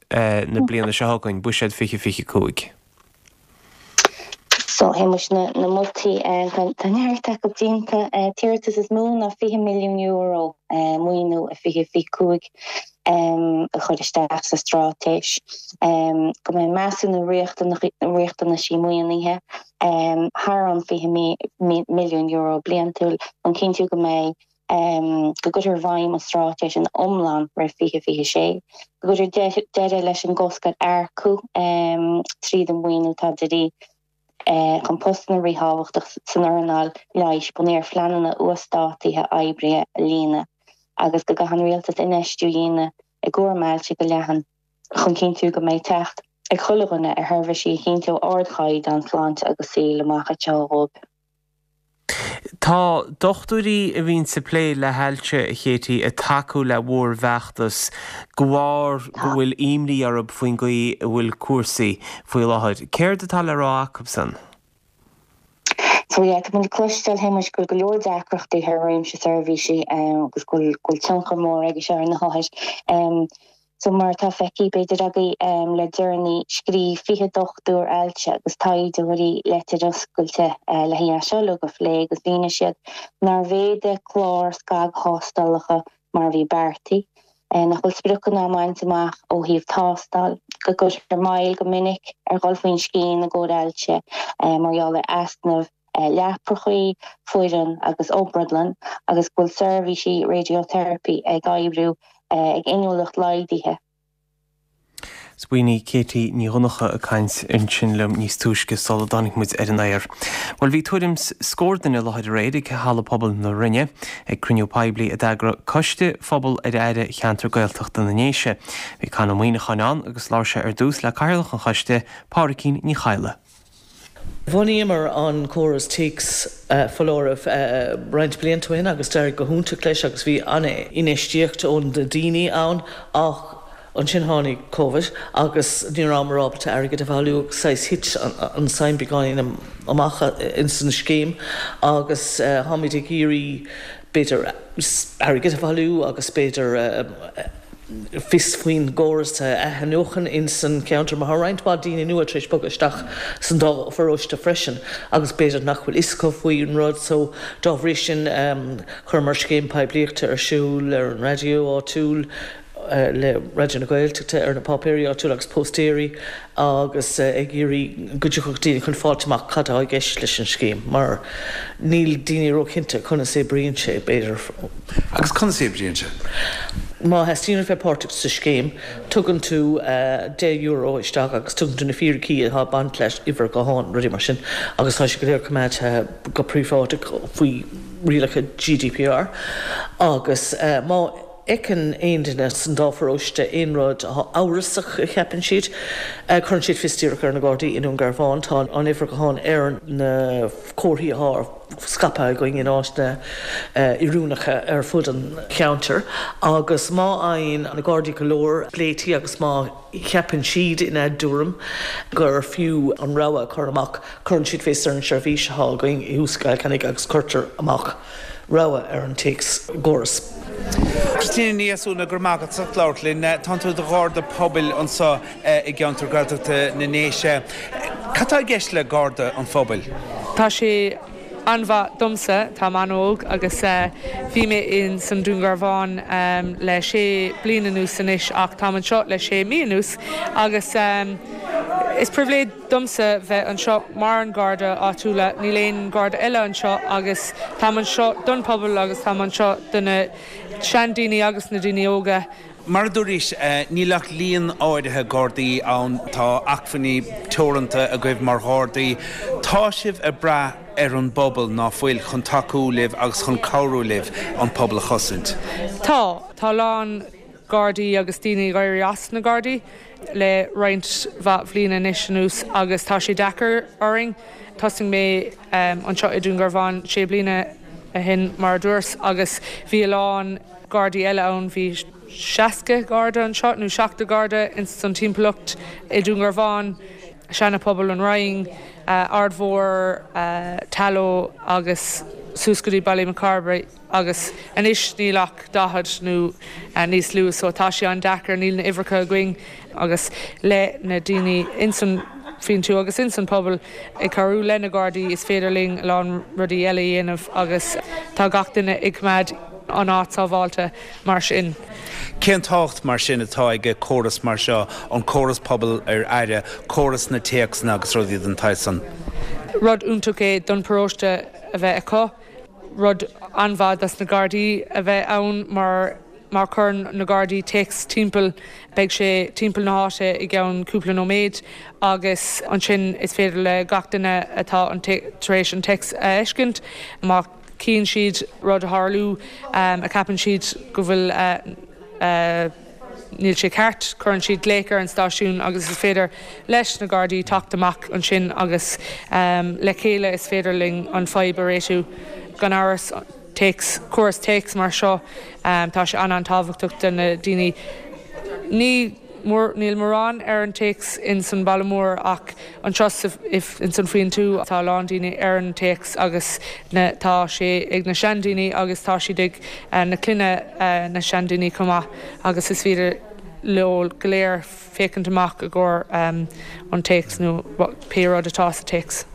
na bliana seo chugainn, Buiséad 2025? So, a Shéamuis, na moltaí, tá neart acu déanta. An t-iarratas is mó ná €20 milliún maoiniú i 2025 a chur isteach sa straitéis, go mbeidh measúnú riachtanaisí maoinithe thar an €20 milliún bliantúil chun cinntiú go mbeidh go gcuirtear i bhfeidhm an straitéis ina iomlán roimh 2026, go gcuirtear deireadh leis an gcosc ar earcú tríd an maoiniú atá de dhíth chun postanna ríthábhachtach san earnáil leighis bunaithe ar phleananna uasdátaithe oibrithe a líonadh, agus go gcaithfidh an Rialtas infheistiú a dhéanamh i gcúram ailse go leathan chun cinntiú go mbeidh teacht ag chuile dhuine ar sheirbhísí a chinnteoidh ardchaighdeán sláinte agus saoil amach anseo dhóibh. Tá dochtúirí a bhíonns ag plé le hailse, a Katie, ag tacú le bhur bhfeachtas de bharr go bhfuil imní orthu faoin gcaoi a bhfuil cúrsaí faoi láthair. Céard atá le rá acusan? So yeah, tá muid ag cloisteáil, a Shéamuis, go bhfuil go leor deacrachtaí thar réimse seirbhísí agus go bhfuil tionchar mór aige seo ar na hothair. So mar atá feicthe b'fhéidir agaibh le deireanaí, scríobh 20 dochtúir ailse agus taighdeoirí leitir oscailte le hé seo uilig a phlé agus mhínigh siad nár mhéadaigh clár scagthástálacha mar a bhí beartaithe, nach bhfuil spriocanna á mbaint amach ó thaobh tástáil, go gcuirtear moill go minic ar dhul faoin scian i gcomhair ailse mar gheall ar easnamh leaprachaí, foireann agus obrádlann agus go bhfuil seirbhísí radiotherapy ag oibriú ag inniúlacht laghdaithe. B'in í Katie Ní Dhonncha ag caint ansin liom níos túisce sula dtáinig muid ar an aer. Bhuel, bhí tuairim 's scór duine i láthair aréir ag Halla Pobail na Rinne ag cruinniú poiblí a d'eagraigh Coiste Phobal ar Aire Cheantar Gaeltachta na nDéise. Bhí Con Ó Muíneacháin ann agus labhair sé ar dtús le Cathaoirleach an Choiste, Pádraicín Ní Chadhla. Bhunaíomar an córas téacs foláirimh roinnt blianta ó shin agus d'éirigh go hiontach leis agus bhí an-infheistíocht ó na daoine ann ach ansin tháinig Covid agus ní rabhamar ábalta airgead a bhailiú agus saghas thit an suim beagáinín amach ins an scéim agus táimid ag iarraidh b'fhéidir airgead a bhailiú agus b'fhéidir fios faoin gcóras a athnuachan ins an cheantar mar tá roinnt mhaith daoine nua tar éis bogadh isteach san dá pharóiste freisin agus b'fhéidir nach bhfuil fhios acu faoin rud so dá bhrí sin chuireamar scéim poiblíochta ar siúl ar an raidió áitiúil le Raidió na Gaeltachta ar na páipéirí áitiúla agus póstaeirí agus ag iarraidh go dtiocfadh daoine chun fáilt amach cad atá i gceist leis an scéim mar níl daoine róchinnte conas a oibríonn sé, b'fhéidir. Agus conas a oibríonn sé? Má theastaíonn uait bheith páirteach sa scéim, tugann tú €10 isteach agus tugann tú na fíricí atá ag baint leis, uimhir gutháin, rudaí mar sin, agus tá sé go léir coimeádta go príobháideach faoi rialacha GDPR agus má. fheiceann aon duine san dá pharóiste aon rud atá amhrasach a cheapann siad, cuireann siad fios díreach ar na Gardaí i nDún Garbhán. Tá an uimhir ghutháin ar na comharthaí atá scaipthe againn in áiteanna oiriúnacha ar fud an cheantair agus má fhaigheann na Gardaí go leor glaoití agus má cheapann siad ina dtuairim gur fiú an rabhadh a chur amach, cuireann siad fios ar an seirbhís atá againn i thuas i gCill Chainnigh agus cuirtear amach rabhadh ar an téacschóras. Christina Ní Dheasúna, go raibh maith agat as ucht labhairt linn. Tánn tú i do Gharda Pobail anseo i gceantar Gaeltachta na nDéise. Cad tá i gceist le Garda an Phobail? Tá sé an-mhaith domsa, táim an-óg agus bhí mé in san Dún Garbhán le sé bliain anuas anois ach táim anseo le sé mí anuas agus is pribhléid domsa bheith anseo mar an Garda áitiúla, níl aon Garda eile anseo agus táim anseo don pobal agus táim anseo do na seandaoine agus na daoine óga. Mar a dúraís, níl ach líon áirithe Gardaí ann, tá acmhainní teoranta agaibh mar Ghardaí. Tá sibh ag brath ar an bpobal, ná fuil, chun tacú libh agus chun cabhrú libh an pobal a chosaint? Tá. Tá a lán Gardaí agus daoine ag éirí as na Gardaí le roinnt mhaith bhliana anois anuas agus tá sé deacair orainn. Thosaigh mé anseo i Dún Garbhán sé bliana ó shin mar a dúras agus bhí a lán Gardaí eile ann, bhí 60 Garda anseo nó 70 Garda ins an timpeallacht i Dún Garbhán, Seana Phobal, an Rinn, Aird Mhór, Tallow agus. suas go dtí Ballymacarbry agus anois níl ach 40 nó níos lú so tá sé an-deacair, níl na uimhreacha againn agus le na daoine ins an Faoin Tuath agus ins an pobal ag cabhrú le na Gardaí is féidir linn a lán rudaí eile a dhéanamh agus tá gach duine ag coimeád an áit sábháilte mar sin. Cén tábhacht mar sin atá ag córas mar seo, an córas pobal ar aire, córas na téacsanna agus rudaí den tsaghas san? Rud iontach é don paróiste a bheith acu, rud an-mhaith dos na Gardaí a bheith ann mar má chuireann na Gardaí téacs timpeall beidh sé timpeall na háite i gceann cúpla nóiméad agus ansin is féidir le gach duine atá tar éis an téacs a fheiscint má Chíonn siad rud ag tarlú a cheapann siad go bhfuil níl sé ceart, cuireann siad glaoch ar an stáisiún agus is féidir leis na Gardaí teacht amach ansin agus le chéile is féidir linn an fadhb a réitiú. Gan amhras, téacs, córas téacs mar seo, tá sé an-an-tábhachtach do na daoine. Ní. Níl mórán ar an téacs ins an baile mór ach anseo ins an Faoin Tuath tá a lán daoine ar an téacs agus na tá sé ag na seandaoine agus tá siad ag na clainne na seandaoine chomh maith agus is féidir leo go léir féachaint amach i gcomhair an téacs nó pé rud atá sa téacs.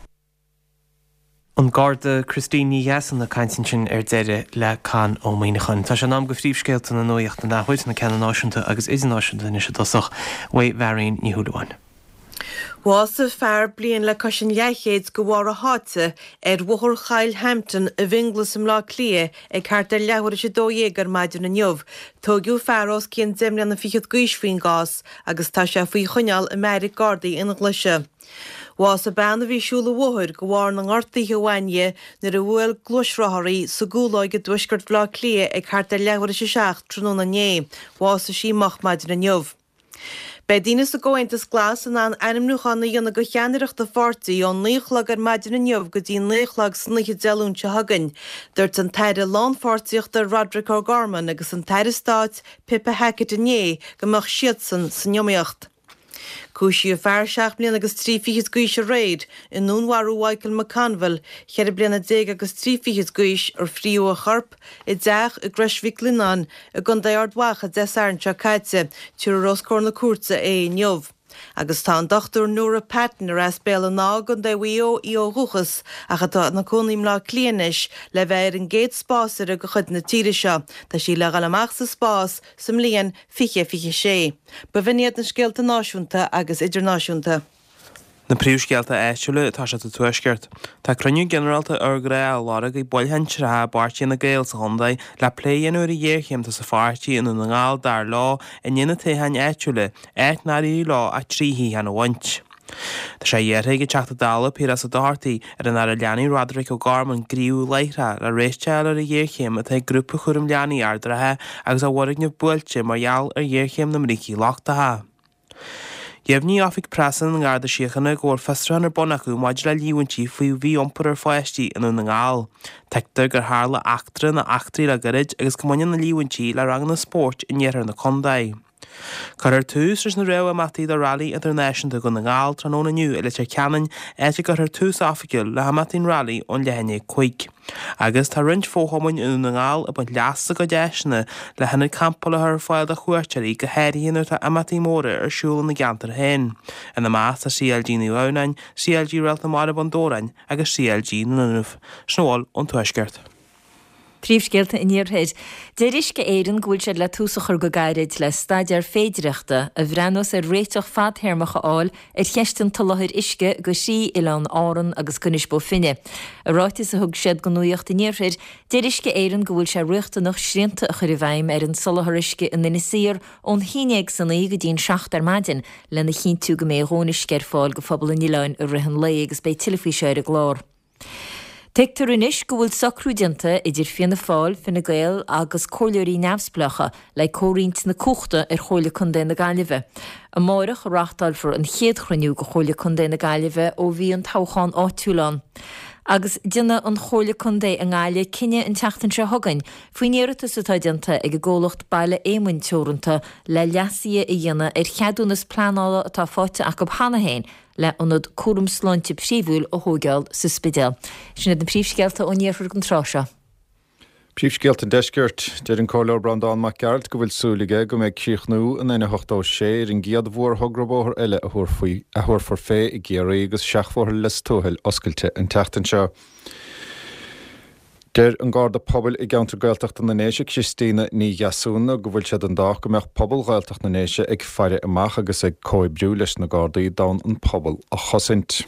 An Garda Christine Ní Dheasún ag caint ansin ar deireadh le Con Ó Muíneacháin. Tá sé in am do phríomhscéalta na nuachta an athuair, na ceanna náisiúnta agus idirnáisiúnta anois i dtosach, uaidh Mharion Ní Shúilleabháin. Bhásaigh fear bliain le cois an leathchéid de bharr a sháite ar Bhóthar Choill Hampton i bhFionnghlas i mBleá Cliath ag thart ar leathuair tar éis 12 ar maidin inniu. Tóigeadh fear os cionn deich mbliana fichead d'aois faoin gcás agus tá sé faoi choinneáil i mbeairic Gardaí Fhionnghlaise. Bhásaigh bean a bhí ag siúl an bhóthair de bharr na ngortuithe a bhain di nuair a bhuail gluaisrothar í sa gCúlóig i dtuaisceart Bhaile Átha Cliath ag thart ar leathuair tar éis a 7 tráthnóna inné. Bhásaigh sí moch maidin inniu. Beidh daoine sa gComhaontas Glas in ann ainmniúchán a dhéanamh do cheannaireacht an pháirtí ón 9 a chlog ar maidin inniu go dtí 9 a chlog san oíche Dé Luain seo chugainn. Dúirt an tAire Lánpháirtíochta Roderic O'Gorman agus an tAire Stáit Pippa Hackett inné go mbeadh siadsan san iomaíocht. Cúisíodh fear seacht mbliana agus trí fichid d'aois aréir i ndúnmharú Mhichael McConville, cheithre bliana déag agus trí fichid d'aois, ar fríodh a chorp i dteach i gCrois Mhic Lionnáin i gContae Ard Mhacha Dé Sathairn seo caite. Tabharfar os comhair na cúirte é inniu. Agus tá an Dr Nora Patton, ar as Béal an Átha i gContae Mhaigh Eo í ó dhúchas ach atá ina cónaí i mBleá Cliath anois, le bheith ar an gcéad spásaire de chuid na tíre seo. Tá sí le dhul amach sa spás sa mbliain 2026. B'in iad na scéalta náisiúnta agus idirnáisiúnta. Na príomhscéalta áitiúla atá sé sa Tuaisceart. Tá cruinniú ginearálta urghnách á lorg ag baill shinsearacha i bPáirtí Fhine Gael sa chontae le plé a dhéanamh ar an ghéarchéim atá sa pháirtí i nDún na nGall dar leo i ndiaidh na toghcháin áitiúla, áit nár éirigh leo ach 3 shuíochán a bhaint. Tá sé iarrtha ag an Teachta Dála Piaras Ó Dochartaigh ar an Aire Leanaí Roderic O'Gorman gníomhú láithreach le réiteach a fháil ar an ghéarchéim atá ag Grúpa Chúram Leanaí Ard an Rátha agus a bhfoirgneamh buailte mar gheall ar ghéarchéim na mbrící lochtacha. Dheimhnigh Oifig Preasa na nGarda Síochána go bhfuil fiosrúchán ar bun acu maidir le líomhaintí faoi mhí-iompar ar pháistí i nDún na nGall. Tuigtear gur tharla eachtra nó eachtraí le gairid agus go mbaineann na líomhaintí le ranganna spóirt in iarthar na contae. Cuirfear tús leis na réamh-imeachtaí do Railí Idirnáisiúnta Dhún na nGall tráthnóna inniu i Leitir Ceanainn, áit a gcuirfear tús oifigiúil le himeachtaí an Railí ón leath i ndiaidh 5. Agus tá roinnt fo-chumainn i nDún na nGall ag baint leas as a gcuid áiseanna le hionaid campála a chur ar fáil do chuairteoirí, go háirithe nuair atá imeachtaí móra ar siúl ina gceantar féin. Ina measc tá CLG Naomh Adhamhnáin, CLG Réalt na Mara Bun Dobhráin agus CLG na nDúnaibh. Sin a bhfuil ón Tuaisceart. Príomhscéalta an Iarthair. Deir Uisce Éireann go bhfuil siad le tús a chur go gairid le staidéar féidireachta a bhreathnós ar réiteach fadthéarmach a fháil ar cheist an tsoláthair uisce go thrí oileán Árann agus go Inis Bó Finne. I ráiteas a thug siad do Nuacht an Iarthair, deir Uisce Éireann go bhfuil sé riachtanach srianta a chur i bhfeidhm ar an soláthar uisce in Inis Oírr ón haon dhéag san oíche go dtí'n 7 ar maidin lena chinntiú go mbeidh a dhóthain uisce ar fáil go phobal an oileáin i rith an lae agus beidh tuilleadh faoi seo ar an gclár. Tuigtear anois go bhfuil socrú déanta idir Fianna Fáil, Fine Gael agus comhairleoirí neamhspleácha le comhroinnt na cumhachta ar Chomhairle Contae na Gaillimhe. Amáireach a reáchtálfar an chéad chruinniú de Chomhairle Contae na Gaillimhe ó bhí an toghchán áitiúil ann. Agus déanfaidh an Chomhairle Contae i nGaillimh cinneadh an tseachtain seo chugainn faoin iarratas atá déanta ag an gcomhlacht Baile Éamoinn Teoranta le leasuithe a dhéanamh ar cheadúnas pleanála atá faighte acu cheana féin. le ionad cúram sláinte príomhúil a thóigeáil sa Spidéal. Sin iad na príomhscéalta ón iarthar don tráth seo. Príomhscéalta an Deiscirt. Deir an Comhairleoir Breandán Mac Gearailt go bhfuil súil aige go mbeidh críochnú an N86 ar an gcéad mhórthogra bóthair eile a thabharfar fé i gCiarraí agus seachbhóthar Lios Tuathail oscailte an tseachtain seo. Deir an Garda Pobail i gceantar Gaeltachta na nDéise, Christina Ní Dheasúna, go bhfuil sé den dádh go mbeadh pobal Ghaeltacht na nDéise ag faire amach agus ag comhoibriú leis na Gardaí d'fhonn an pobal a chosaint.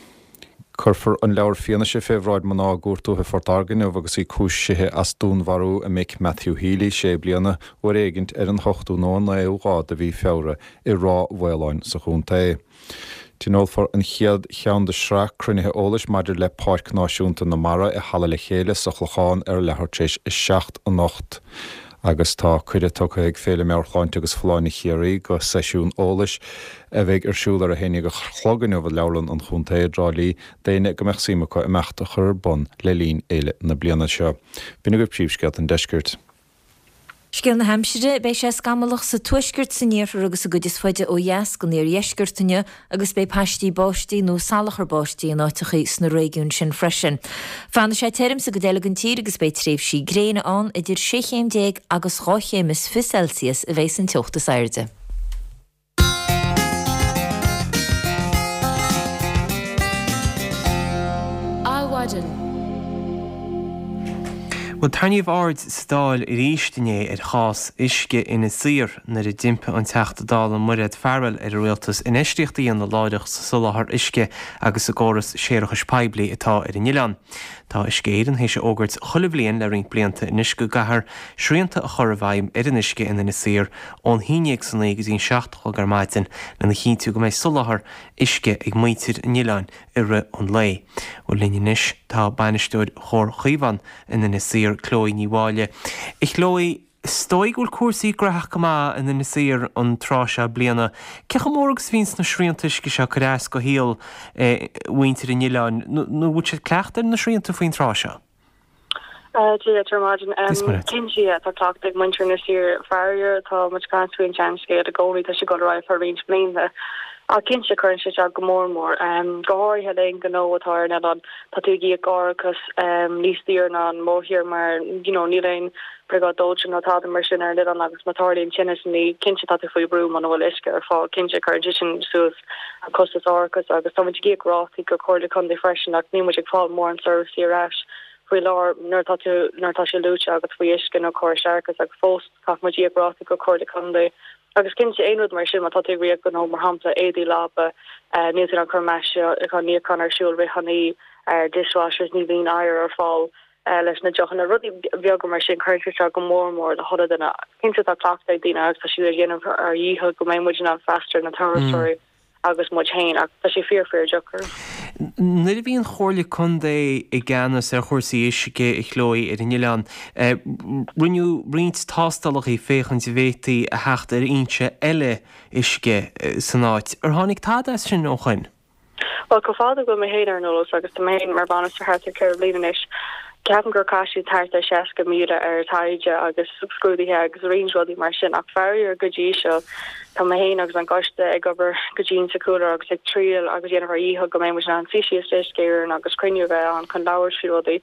Cuirfear an leabhar fianaise fé bhráid mná i gCúirt Dúiche Phort Láirge inniu agus í cúisithe as dúnmharú a mic Matthew Healy, sé bliana, uair éigint ar an hochtú nó an naoú lá de mhí Feabhra i Ráth Mhaoláin sa chontae. Tionólfar an chéad cheann de shraith cruinnithe eolais maidir le Páirc Náisiúnta na Mara i Halla Le Chéile sa Chlochán ar leathuair tar éis a 7 anocht. Agus tá cuireadh tugtha ag Féile Meabhairshláinte agus Folláine Chiarraí go seisiún eolais a bheidh ar siúl ar a haon dhéag a chlog inniu i Leabharlann an Chontae i dTrá Lí d'éinne go mbeadh suim acu imeacht a chur ar bun le linn fhéile na bliana seo. B'in agaibh príomhscéalta an deiscirt. Scéal na haimsire, Beidh sé scamallach sa tuaisceart, san iarthar agus sa gcuid is faide ó dheas den iardheisceart inniu agus beidh paistí báistí nó salachar báistí in áiteachaí sna réigiúin sin freisin. Fanfaidh sé tirim sa gcuid eile den tír agus beidh tréimhsí gréine ann. Idir sé chéim déag agus 12 chéim is Celsius a bheidh san teocht is airde. Adhmhaidin. Bhuel, tarraingíodh aird sa Dáil arís inné ar chás uisce Inis Oírr nuair a d'impigh an Teachta Dála Mairéad Farrell ar an Rialtas infheistíocht a dhéanamh láithreach sa soláthar uisce agus sa gcóras séarachais poiblí atá ar an oileán. Tá Uisce Éireann théis a fhógairt chuile bhliain le roinnt blianta anois go gcaithfear srianta a chur i bhfeidhm ar an uisce in Inis Oírr ón haon dhéag san oíche go dtí an 7 a chlog ar maidin lena chinntiú go mbeidh soláthar uisce ag muintir an oileáin i rith an lae. Bhuel linn anois tá bainisteoir Chomhar Chaomhán in Inis Oírr, Chloe Ní Mháille. A Chloe, is dóigh go bhfuil cúrsaí graitheach go maith in Inis Oírr an tráth seo bliana. Cé chomh mór agus a bhíonns na srianta uisce seo ag cur as do shaol mhuintir an oileáin nó bhfuil siad cleachta ar na srianta faoin tráth seo? Dia duit ar maidin. Cinnte, yeah, tá cleachtadh ag muintir Inis Oírr. Faraor, tá muid ag caint faoin seanscéal i gcónaí, tá sé ag dul ar aghaidh feadh roinnt blianta. Ach cinnte, cuireann sé isteach go mór mór. Go háirithe le aon ghnó atá ar an oileán, tá tú ag íoc árachas níos daoire ná an mórthír mar, you know, níl aon briogáid dóiteáin ná tada mar sin ar an oileán agus má tarlaíonn tinneas ní, cinnte tá tú faoi bhrú muna bhfuil uisce ar fáil. Cinnte, cuireann sé sin suas an costas árachais agus tá muid ag íoc rátaí go Comhairle Contae freisin ach níl muid ag fáil mórán seirbhísí ar ais faoi láthair nuair atá tú nuair atá sé luaite agat faoi uisce nó córais séarachais agus fós caithfidh muid íoc rátaí go Comhairle Contae agus cinnte aon rud mar sin má tá tú ag rith gnó mar shampla éadaí leaba níl tú in ann cur maisiúchán níocháin ar siúl rith an oíche dishwashers ní bhíonn oighear ar fáil leis na deochanna, rudaí beaga mar sin, cuireann sé isteach go mór mór le chuile duine. Cinnte tá cleachtadh ag daoine agus tá siad ag déanamh ár ndícheall go mbeidh muid in ann freastal ar na turasóirí agus muid féin ach tá sé fíor fíor deacair. Nuair a bhí an Chomhairle Contae i gceannas ar chúrsaí uisce, a Chloe, ar an oileán, rinneadh roinnt tástálacha féachaint an bhféadfaí a theacht ar fhoinse eile uisce san áit. Ar tháinig tada as sin ó shoin? Bhuel, chomh fada go bhfuil mé féin ar an eolas, agus tá mé féin mar bhainisteoir thart ar cheithre bliana anois, ceapaim gur chaith siad thart ar 60,000 ar taighde agus scrúduithe agus roinnt rudaí mar sin ach faraor go dtí seo tá mé féin agus an coiste ag obair go dian sa chúlra agus ag triail agus déanamh ár ndícheall go mbeidh muid in ann suí síos le Uisce Éireann agus cruinniú a bheith ann chun labhairt faoi rudaí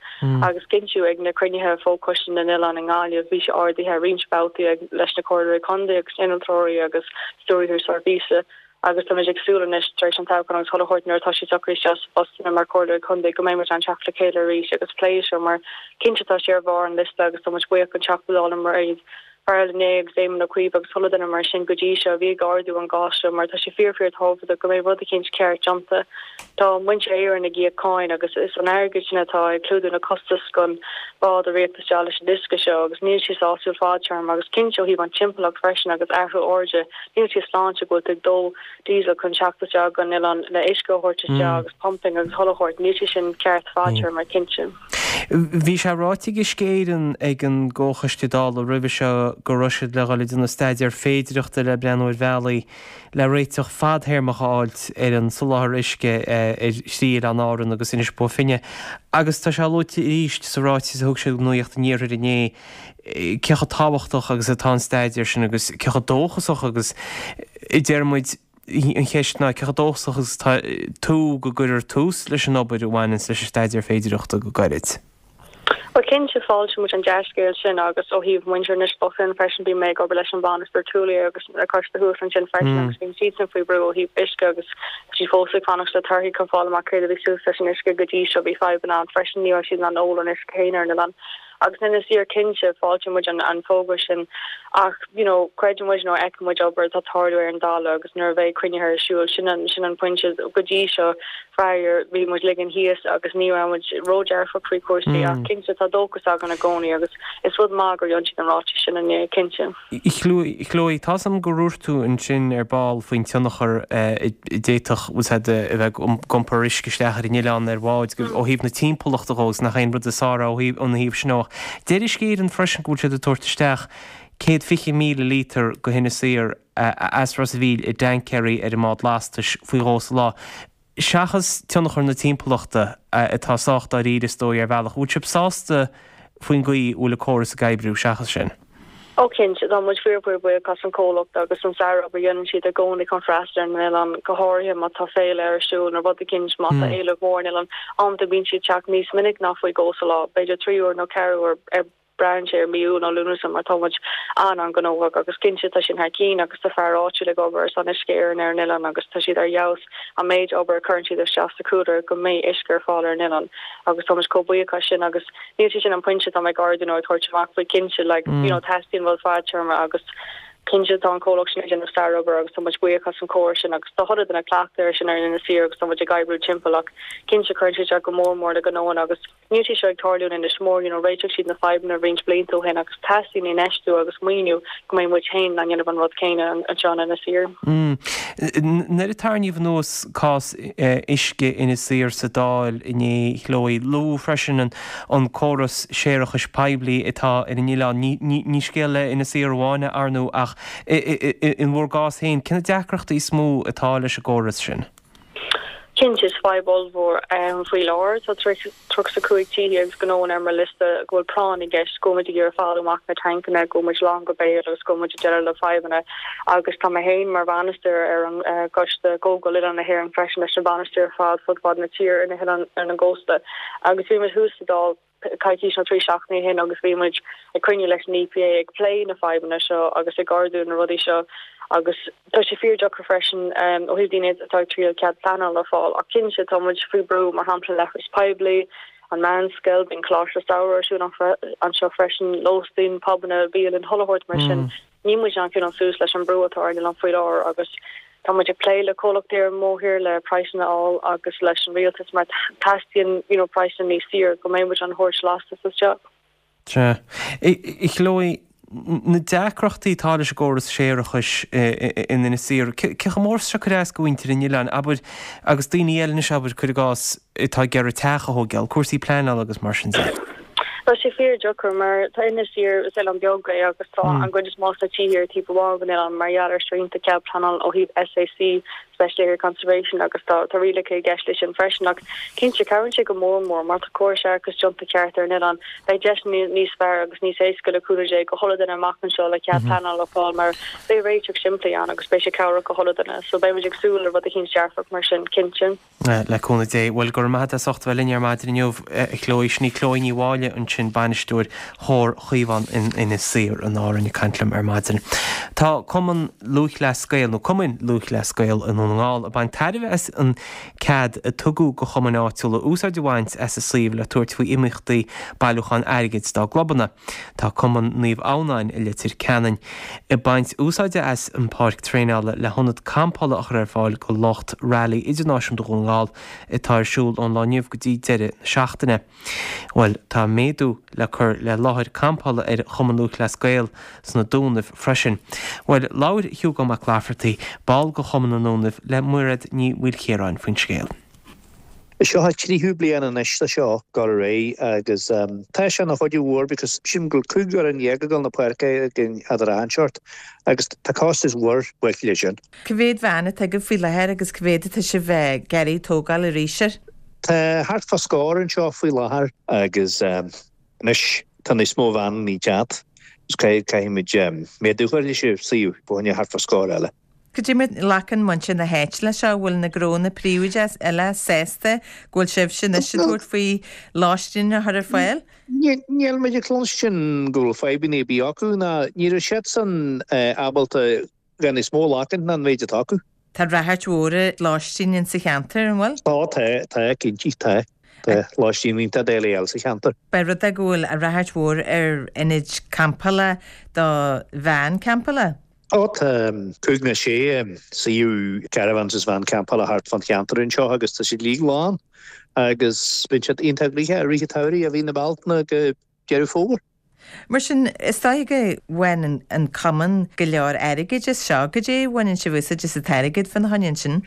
agus cinntiú ag na cruinnithe Fho-Choiste na nOileán i nGaillimh bhí sé ardaithe roinnt babhtaí ag leis na comhairleoirí contae agus innealtóirí agus stiúrthóirí seirbhíse. agus táimid ag súil anois, tar éis an toghcháin agus chuile shórt, nuair atá siad socraithe isteach sa phostanna mar Chomhairleoirí Contae, go mbeidh muid in ann teacht le chéile arís agus plé seo mar cinnte tá sé ar bharr an liosta agus tá muid buíoch don Teachta Dála Mairéad Farrell inné agus Éamon Ó Cuív agus chuile dhuine mar sin go dtí seo a bhí ag ardú an gcás seo mar tá sé fíor fíor tábhachtach go mbeidh rud eicínt ceart déanta. Tá muintir Éireann ag íoc cáin agus is an airgead sin atá ag clúdú na costais don bhád a rith isteach leis an uisce seo agus níl sé sásúil fadtéarma agus cinnte ó thaobh an timpeallacht freisin agus athrú aeráide Níl sé sláinte go bhfuil tú ag dó diesel chun teacht isteach go an oileán le uisce a thabhairt isteach agus pumping agus chuile shórt. Níl sé sin ceart fadtéarma, cinnte. Bhí sé ráite ag Uisce Éireann ag an gComhchoiste Dála roimhe seo go raibh siad le dhul ag déanamh staidéar féidireachta le breathnú ar bhealaí le réiteach fadthéarmach a fháilt ar an soláthar uisce ar thrí oileán Árann agus Inis Bó Finne agus tá sé luaite arís sa ráiteas a thug siad do Nuacht an Iarthair inné cé chomh tábhachtach agus atá an staidéar sin agus cé chomh dóchasach agus a deir muid. An cheist ná, cé chomh dóchasach agus atá tú go gcuirfear tús leis an obair a bhaineanns leis an staidéar féidireachta go gairid? Bhuel, cinnte, fáiltíonn muid an dea-scéal sin agus ó thaobh muintir Inis Bó Finne freisin, bíonn mé ag obair leis an bhainisteoir Tualia agus na coiste thuas ansin freisin agus bíonn siadsan faoi bhrú ó thaobh uisce agus tá siad fós ag fanacht le torthaí chun fáil amach céard a bhí suas leis an uisce go dtí seo. Bhí fadhbanna ann freisin, ní raibh siad in ann ól an uisce féin ar an oileán. Agus in Inis Oírr cinnte, fáiltíonn muid an fógra sin ach you know creideann muid nó fheiceann muid obair atá ag tarlú ar an dtalamh agus nuair a bheidh cruinnithe ar siúl, sin an sin an pointe. Go dtí seo, faraor, bhí muid ligean thíos agus ní raibh muid ródhearfach faoi chúrsaí ach cinnte tá dóchas againn i gcónaí agus is rud maith gur dhein siad an ráiteas sin inné, cinnte. Chloe, tá's a'm gur dhúirt tú ansin ar ball faoin tionchar a d'fhéadfadh, bhfuil 's a'd, a bheith ag iompar uisce isteach ar an oileán ar bháid ó thaobh na timpeallachta dhó agus nach aon rud is fearr é ó thaobh, óna thaobh sin ach deir Uisce Éireann freisin go bhfuil siad ag tabhairt isteach 120,000 líotar go hInis Oírr as Ros a' Mhíl i dtaincéirí ar an mbád lastais faoi dhó sa lá. Seachas tionchar na timpeallachta, atá sách dáiríre is dóigh ar bhealach, bhfuil sibh sásta faoin gcaoi a bhfuil an córas ag oibriú seachas sin? Ó cinnte, tá muid fíor fíor buíoch as an comhlacht agus an sárobair a dhéanann siad i gcónaí chun freastal ar an oileán, go háirithe má tá féile ar siúl nó rud eicínt, má tá éileamh mór ar an oileán. Amanta bíonn siad ag teacht níos minic ná faoi dhó sa lá, b'fhéidir 3 uair nó 4 uair ar Braitheann sé ar mí Iúil nó Lúnasa mar tá muid an-an-ghnóthach agus cinnte tá sin thar cinn agus tá fear áitiúil ag obair ar son Uisce Éireann ar an oileán agus tá siad ar fheabhas an méid obair a chuireann siad isteach sa chúlra go mbeidh uisce ar fáil ar an oileán agus tá muid chomh buíoch as sin agus níl sé sin an pointe atá mé ag ardú nó ag tabhairt amach faoi cinnte like you know teastaíonn rud fadtéarma agus cinnte tá an comhlacht sin ag déanamh sárobair agus tá muid buíoch as an chóras sin agus tá chuile duine cleachtaithe air sin ar Inis Oírr agus tá muid ag oibriú timpeall ach cinnte cuireann sé isteach go mór mór le gnóanna agus Níl sé seo ag tarlú in Inis Mór, you know, réiteodh siad na fadhbanna roinnt blianta ó shin agus teastaíonn infheistiú agus maoiniú go mbeidh muid féin in ann dhéanamh an rud céanna anseo in Inis Oírr. Nuair a tarraingíodh anuas cás uisce Inis Oírr sa Dáil inné, Chloe, luadh freisin an córas séarachais poiblí atá ar an oileán. Ní scéal le Inis Oírr amháin é, ar ndóigh, ach in bhur gcás féin, cé na deacrachtaí is mó atá leis an gcóras sin? Cinnte, is fadhb ollmhór faoi láthair. Tá 35 tithe agus gnóanna ar mo liosta go bhfuil práinn i gceist, go bhfuil muid ag iarraidh fáil amach na tancanna, go bhfuil muid lán go béal agus go bhfuil muid ag déileáil le fadhbanna. Agus tá mé féin mar bhainisteoir ar an gcoiste Chomhdháil Oileán na hÉireann freisin leis na bainisteoirí ar fad fud fad na tíre ar na hoileáin ar an gcósta. Agus bhí muid thuas sa Dáil. coicís nó 3 seachtainí ó shin agus bhí muid ag cruinniú leis an EPA ag plé na fadhbanna seo agus ag ardú na rudaí seo agus tá sé fíor-deacair freisin ó thaobh daoine atá ag triail cead pleanála a fháil ach cinnte tá muid faoi brú mar shampla leithris poiblí, an meánscoil, bíonn coláiste samhraidh ar siúl anseo freisin, lóistín, pubanna, bialann, chuile shórt mar sin. Níl muid in ann coinneáil suas leis an brú atá ar an oileán faoi láthair agus tá muid ag plé le comhlachtaí ar an mbóthar le praghsanna a fháil agus leis an rialtas mar teastaíonn you know praghsanna níos saoire go mbeidh muid in ann thabhairt lastas isteach. Sea. A Chloe, na deacrachtaí atá leis an gcóras séarachais in Inis Oírr, cé chomh mór is atá sé ag cur as do mhuintir an oileáin, abair, agus daoine eile anois, abair, cuir i gcás, atá ag iarraidh teach a thógáil, cúrsaí pleanála agus mar sin de. Tá sé fíor deacair mar tá Inis Oírr, is oileán beag é agus tá an gcuid is mó de na tithe ar taobh amháin den oileán mar gheall ar srianta cead pleanála ó thaobh SAC, Special Area Conservation, agus tá tá rialacha i gceist leis sin freisin ach cinnte cabhraíonn sé go mór mór má tá córas séarachais déanta ceart ar an oileán beidh deiseanna níos fearr agus níos éasca le cúnamh Dé do chuile duine amach anseo le cead pleanála a fháil mar beidh réiteach simplí ann agus beidh sé cabhrach do chuile duine so beidh muid ag súil le rud eicínt dearfach mar sin cinnte. Le cúnamh Dé. Bhuel, go raibh maith agat as ucht a bheith linn ar maidin inniu, a Chloe. Sin í Chloe Ní Mháille ansin, bainisteoir Chomhar Chaomhán in Inis Oírr in Árainn ag caint liom ar maidin. Tá Cumann Lúthchleas Gael, nó Cumainn Lúthchleas Gael i nDún na nGall ag baint tairbhe as an cead a tugadh go chumainn áitiúla úsáid a bhaint as a suíomh le tabhairt faoi imeachtaí bailiúchán airgid dá gclubanna. Tá Cumann Naomh Adhamhnáin i Leitir Ceanainn ag baint úsáide as an páirc traenála le hionad campála a chur ar fáil go lucht Rally Idirnáisiúnta Dhún na nGall atá ar siúl ón lá inniu go dtí deireadh na seachtaine. Bhuel, tá méadú le cur le láthair campála ar Chumann Lúthchleas Gael sna Dúnaibh freisin. Bhuel, labhair Hugo Mac Laifeartaigh, ball de Chumann na nDúnaibh, le Mairéad Ní Mhaoilchiaráin faoin scéal. Seo an tríú bliain anois de seo ag dul ar aghaidh agus tá sé ina chuidiú mhór because sílim go bhfuil 15 fhoireann ag dul na páirce againn eadar achan seort agus tá costas mhór bainte leis sin. Cá mhéad veain atá agaibh faoi láthair agus cá mhéad atá sibh ag iarraidh tógáil arís air? Tá thart fá scór anseo faoi láthair agus anois tá níos mó veaineanna ag teacht agus caithfimid méadú a chur leis an suíomh fá choinne thart fá scór eile. Cad é mar a ghlacann muintir na háite leis seo? Bhfuil na gnónna príobháideacha eile sásta go bhfuil sibhse anois ag tabhairt faoi lóistín a chur ar fáil? Níl muid ag cluinstin go bhfuil fadhbanna ar bith acu ná ní raibh siadsan ábalta gan níos mó a ghlacaint ná an méid atá acu. Tá ráchairt mhór ar lóistín in sa cheantar, an bhfuil? Tá, tá, tá, cinnte, tá. Tá lóistín iontach doiligh a fháil sa cheantar. Pé rud é go bhfuil ráchairt mhór ar ionaid campála do veain campála. Ó tá cúig nó sé suíomh caravans is veain campála thart fán cheantar anseo agus tá siad uilig lán agus bíonn siad iontach gnoitheach i rith an tsamhraidh ó mhí na Bealtaine go Deireadh Fómhair. Mar sin, is dóiche go bhfaigheann an cumann go leor airgid as seo. Goidé a bhaineann sibh úsáid as an t-airgead fána choinne ansin?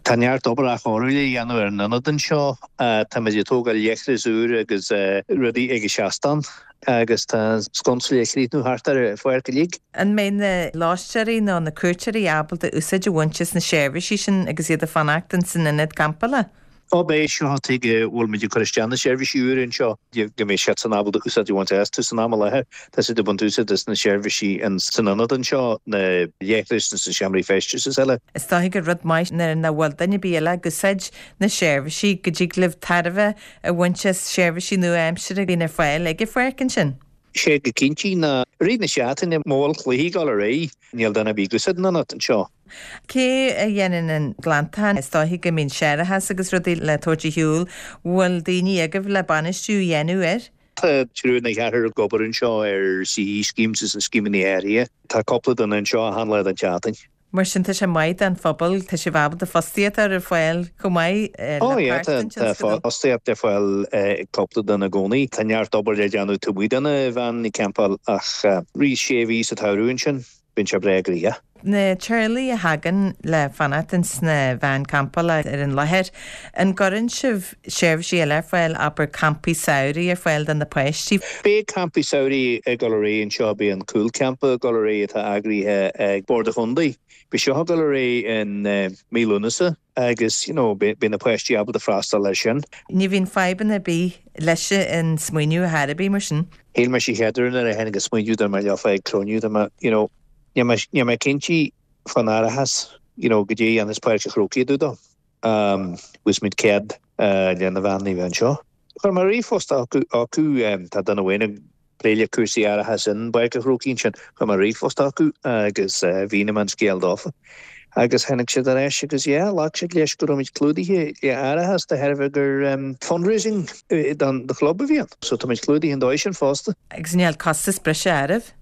Tá neart obair athchóiriú le dhéanamh ar an ionad anseo. Táimid ag tógáil leithreas úr agus rudaí ag an seastán. Agus tá an sconsa le críochnú thart ar an pháirc uilig. An mbeidh na lóisteoirí nó na cuairteoirí ábalta úsáid a bhaint as na seirbhísí sin agus iad ag fanacht ins an ionad campála? Ó beidh, seo an tuige a bhfuil muid ag cur isteach na seirbhísí úra anseo, go mbeidh siadsan ábalta úsáid a bhaint astu san am i láthair. Tá siad ag baint úsáid as na seirbhísí san ionad anseo, na leithris na seomraí feistis is eile. Is dóiche gur rud maith nuair nach bhfuil duine ar bith eile ag úsáid na seirbhísí go dtig libh tairbhe a bhaint as seirbhísí nua-aimseartha a bhíonn ar fáil ag an pháirc ansin. Sé go cinnte ná i rith na seachtaine má bhfuil cluichí ag dul ar aghaidh, níl duine ar bith ag úsáid an ionad anseo. Cé a dhéanann an glantachán? Is dóiche go mbíonn séarachas agus rudaí le tabhairt ar shiúl. Bhfuil daoine agaibh le bainistiú a dhéanamh air? Tá triúr nó ceathrar ag obair anseo ar CE schemes is na scéimeanna áirithe. Tá cúpla duine anseo achan lá den tseachtain. Mar sin tá sé maith don phobal, tá sibh ábalta fostaíocht a chur ar fáil chomh maith le páirt den tionscadal. Tá fostaíocht ar fáil ag cúpla duine i gcónaí. Tá neart obair le déanamh taobh amuigh de na veaineanna campáil ach rith sé mhí sa tsamhradh ansin, bíonn sé breá gnoitheach. Na teaghlaigh a thagann le fanacht ins na veain campála ar an láthair, an gcuireann sibh seirbhísí eile ar fáil, abair campaí samhraidh ar fáil do na páistí? Beidh campaí samhraidh ag dul ar aghaidh anseo, beidh an cúlchampa ag dul ar aghaidh atá eagraithe ag Bord an Chontae. Beidh seo ag dul ar aghaidh in mí Lúnasa agus you know beidh na páistí ábalta freastal air sin. Ní bhíonn fadhbanna ar bith leis an smaoineamh ar chor ar bith mar sin. Shíl mé sa chéad uair nuair a tháinig an smaoineamh dá mbeadh leofa ag cruinniú dá mbeadh you know níl mé níl mé cinnte fán árachas you know goidé a dhéanfas Páirc an Chrócaigh i dtaobh dó. Bhfuil muid cead le na veaineanna a bheith anseo. Chuir mé ríomhphost chucu, tá duine amháin ag plé le cúrsaí árachais in bPáirc an Chrócaigh ansin, chuir mé ríomhphost chucu agus mhínigh mé an scéal dófa agus tháinig siad ar ais agus yeah, ghlac siad leis go raibh muid clúdaithe le árachas de thairbhe gur fundraising don chlub a bhí ann. So tá muid clúdaithe an dóigh sin fosta. Agus níl costas breise oraibh?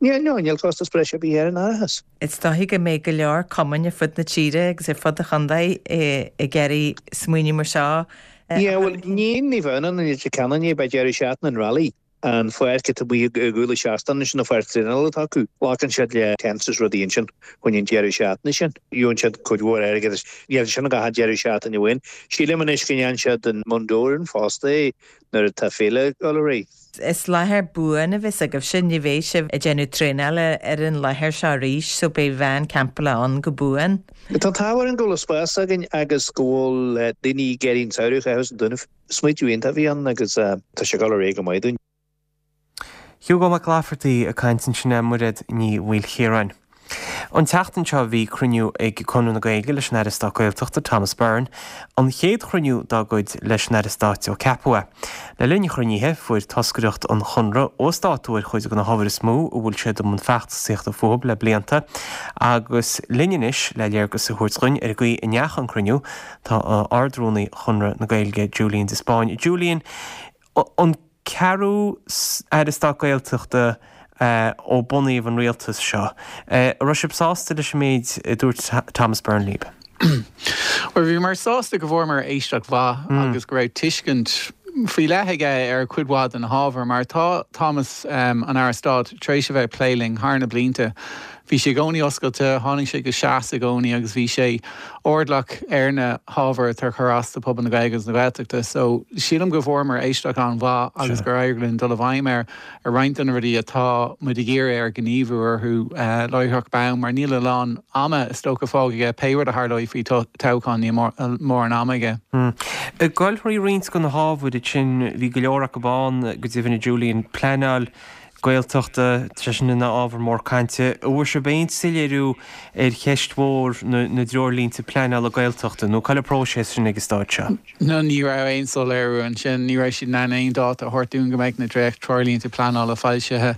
Níl, no, níl costas breise ar bith ar an árachas. Is dóiche go mbeidh go leor cumainn ar fud na tíre agus ar fud an chontae ag iarraidh smaoineamh mar seo a Yeah, chur bhuel, chun cinn. ní bheadh ann i Leitir Ceanainn é, beidh deireadh seachtaine an Rally, an pháirc atá amuigh i gcúl an tseastáin ansin, an pháirc traenála atá acu, glacann siad le tents is rudaí ansin chun an deireadh seachtaine sin. Gheobhann siad cuid mhór airgid as, níl sin ach an deireadh seachtaine amháin. Sílim anois go ndéanann siad in Bundoran fosta é nuair atá féile ag dul ar aghaidh. Is láthair buan a bheas agaibhse, ní bheidh sibh ag déanamh traenála ar an láthair seo arís so beidh veain campála ann go buan. Tá an t-ádh orainn go bhfuil spás againn agus go bhfuil daoine ag iarraidh an samhradh a chaitheamh sa Dúnaibh. Smaoitiú iontach a bhí ann agus tá sé ag dul ar aghaidh go maith dúinn. Hugo Mac Laifeartaigh ag caint ansin le Mairéad Ní Mhaoilchiaráin. An tseachtain seo bhí cruinniú ag Conradh na Gaeilge leis an Aire Stáit Gaeltachta, Thomas Byrne, an chéad chruinniú dá gcuid leis an Aire Stáit ó ceapadh é. Le linn an chruinnithe, fuair toscaireacht an Chonradh uasdátú ar chuid de na hábhair is mó a bhfuil siad i mbun feachtasaíochta fúthu le blianta agus linn anois le léargas a thabhairt dhuinn ar an gcaoi a ndeachaigh an cruinniú tá Ard-Rúnaí Chonradh na Gaeilge, Julian de Spáinn. Julian, An ceathrú Aire Stáit Gaeltachta ó bunaíodh an rialtas seo. An raibh sibh sásta leis an méid a dúirt Thomas Byrne libh? Bhuel, bhíomar sásta go bhfuaireamar éisteacht mhaith agus go raibh tuiscint faoi leith aige ar chuid mhaith de na hábhair, mar tá Thomas, an Aire Stáit, tar éis a bheith ag plé linn thar na blianta. Bhí sé i gcónaí oscailte, tháinig sé go seasta i gcónaí agus bhí sé airdeallach ar na hábhair atá ag cur as do phobal na Gaeilge agus na Gaeltachta. So, sílim go bhfuaireamar éisteacht an-mhaith agus gur éirigh linn dul i bhfeidhm air ar roinnt de na rudaí atá muid ag iarraidh air gníomhú orthu láithreach bonn mar níl a lán ama is dócha fágtha aige pé rud a tharlóidh faoi toghchán níl mórán ama aige. Ag dul thrí roinnt de na hábhair sin, bhí go leor acu ann, go deimhin, a Julian, pleanáil. Gaeltachta, tá sé sin ina ábhar mór cainte. An bhfuair sibh aon soiléiriú ar cheist mhór na dtreoirlínte pleanála Gaeltachta nó cá bhfuil an próiseas sin ag an stáid seo? No, ní raibh aon soiléiriú ansin. Ní raibh siad in ann aon dáta a thabhairt dúinn go mbeidh na dréacht-treoirlínte pleanála foilsithe.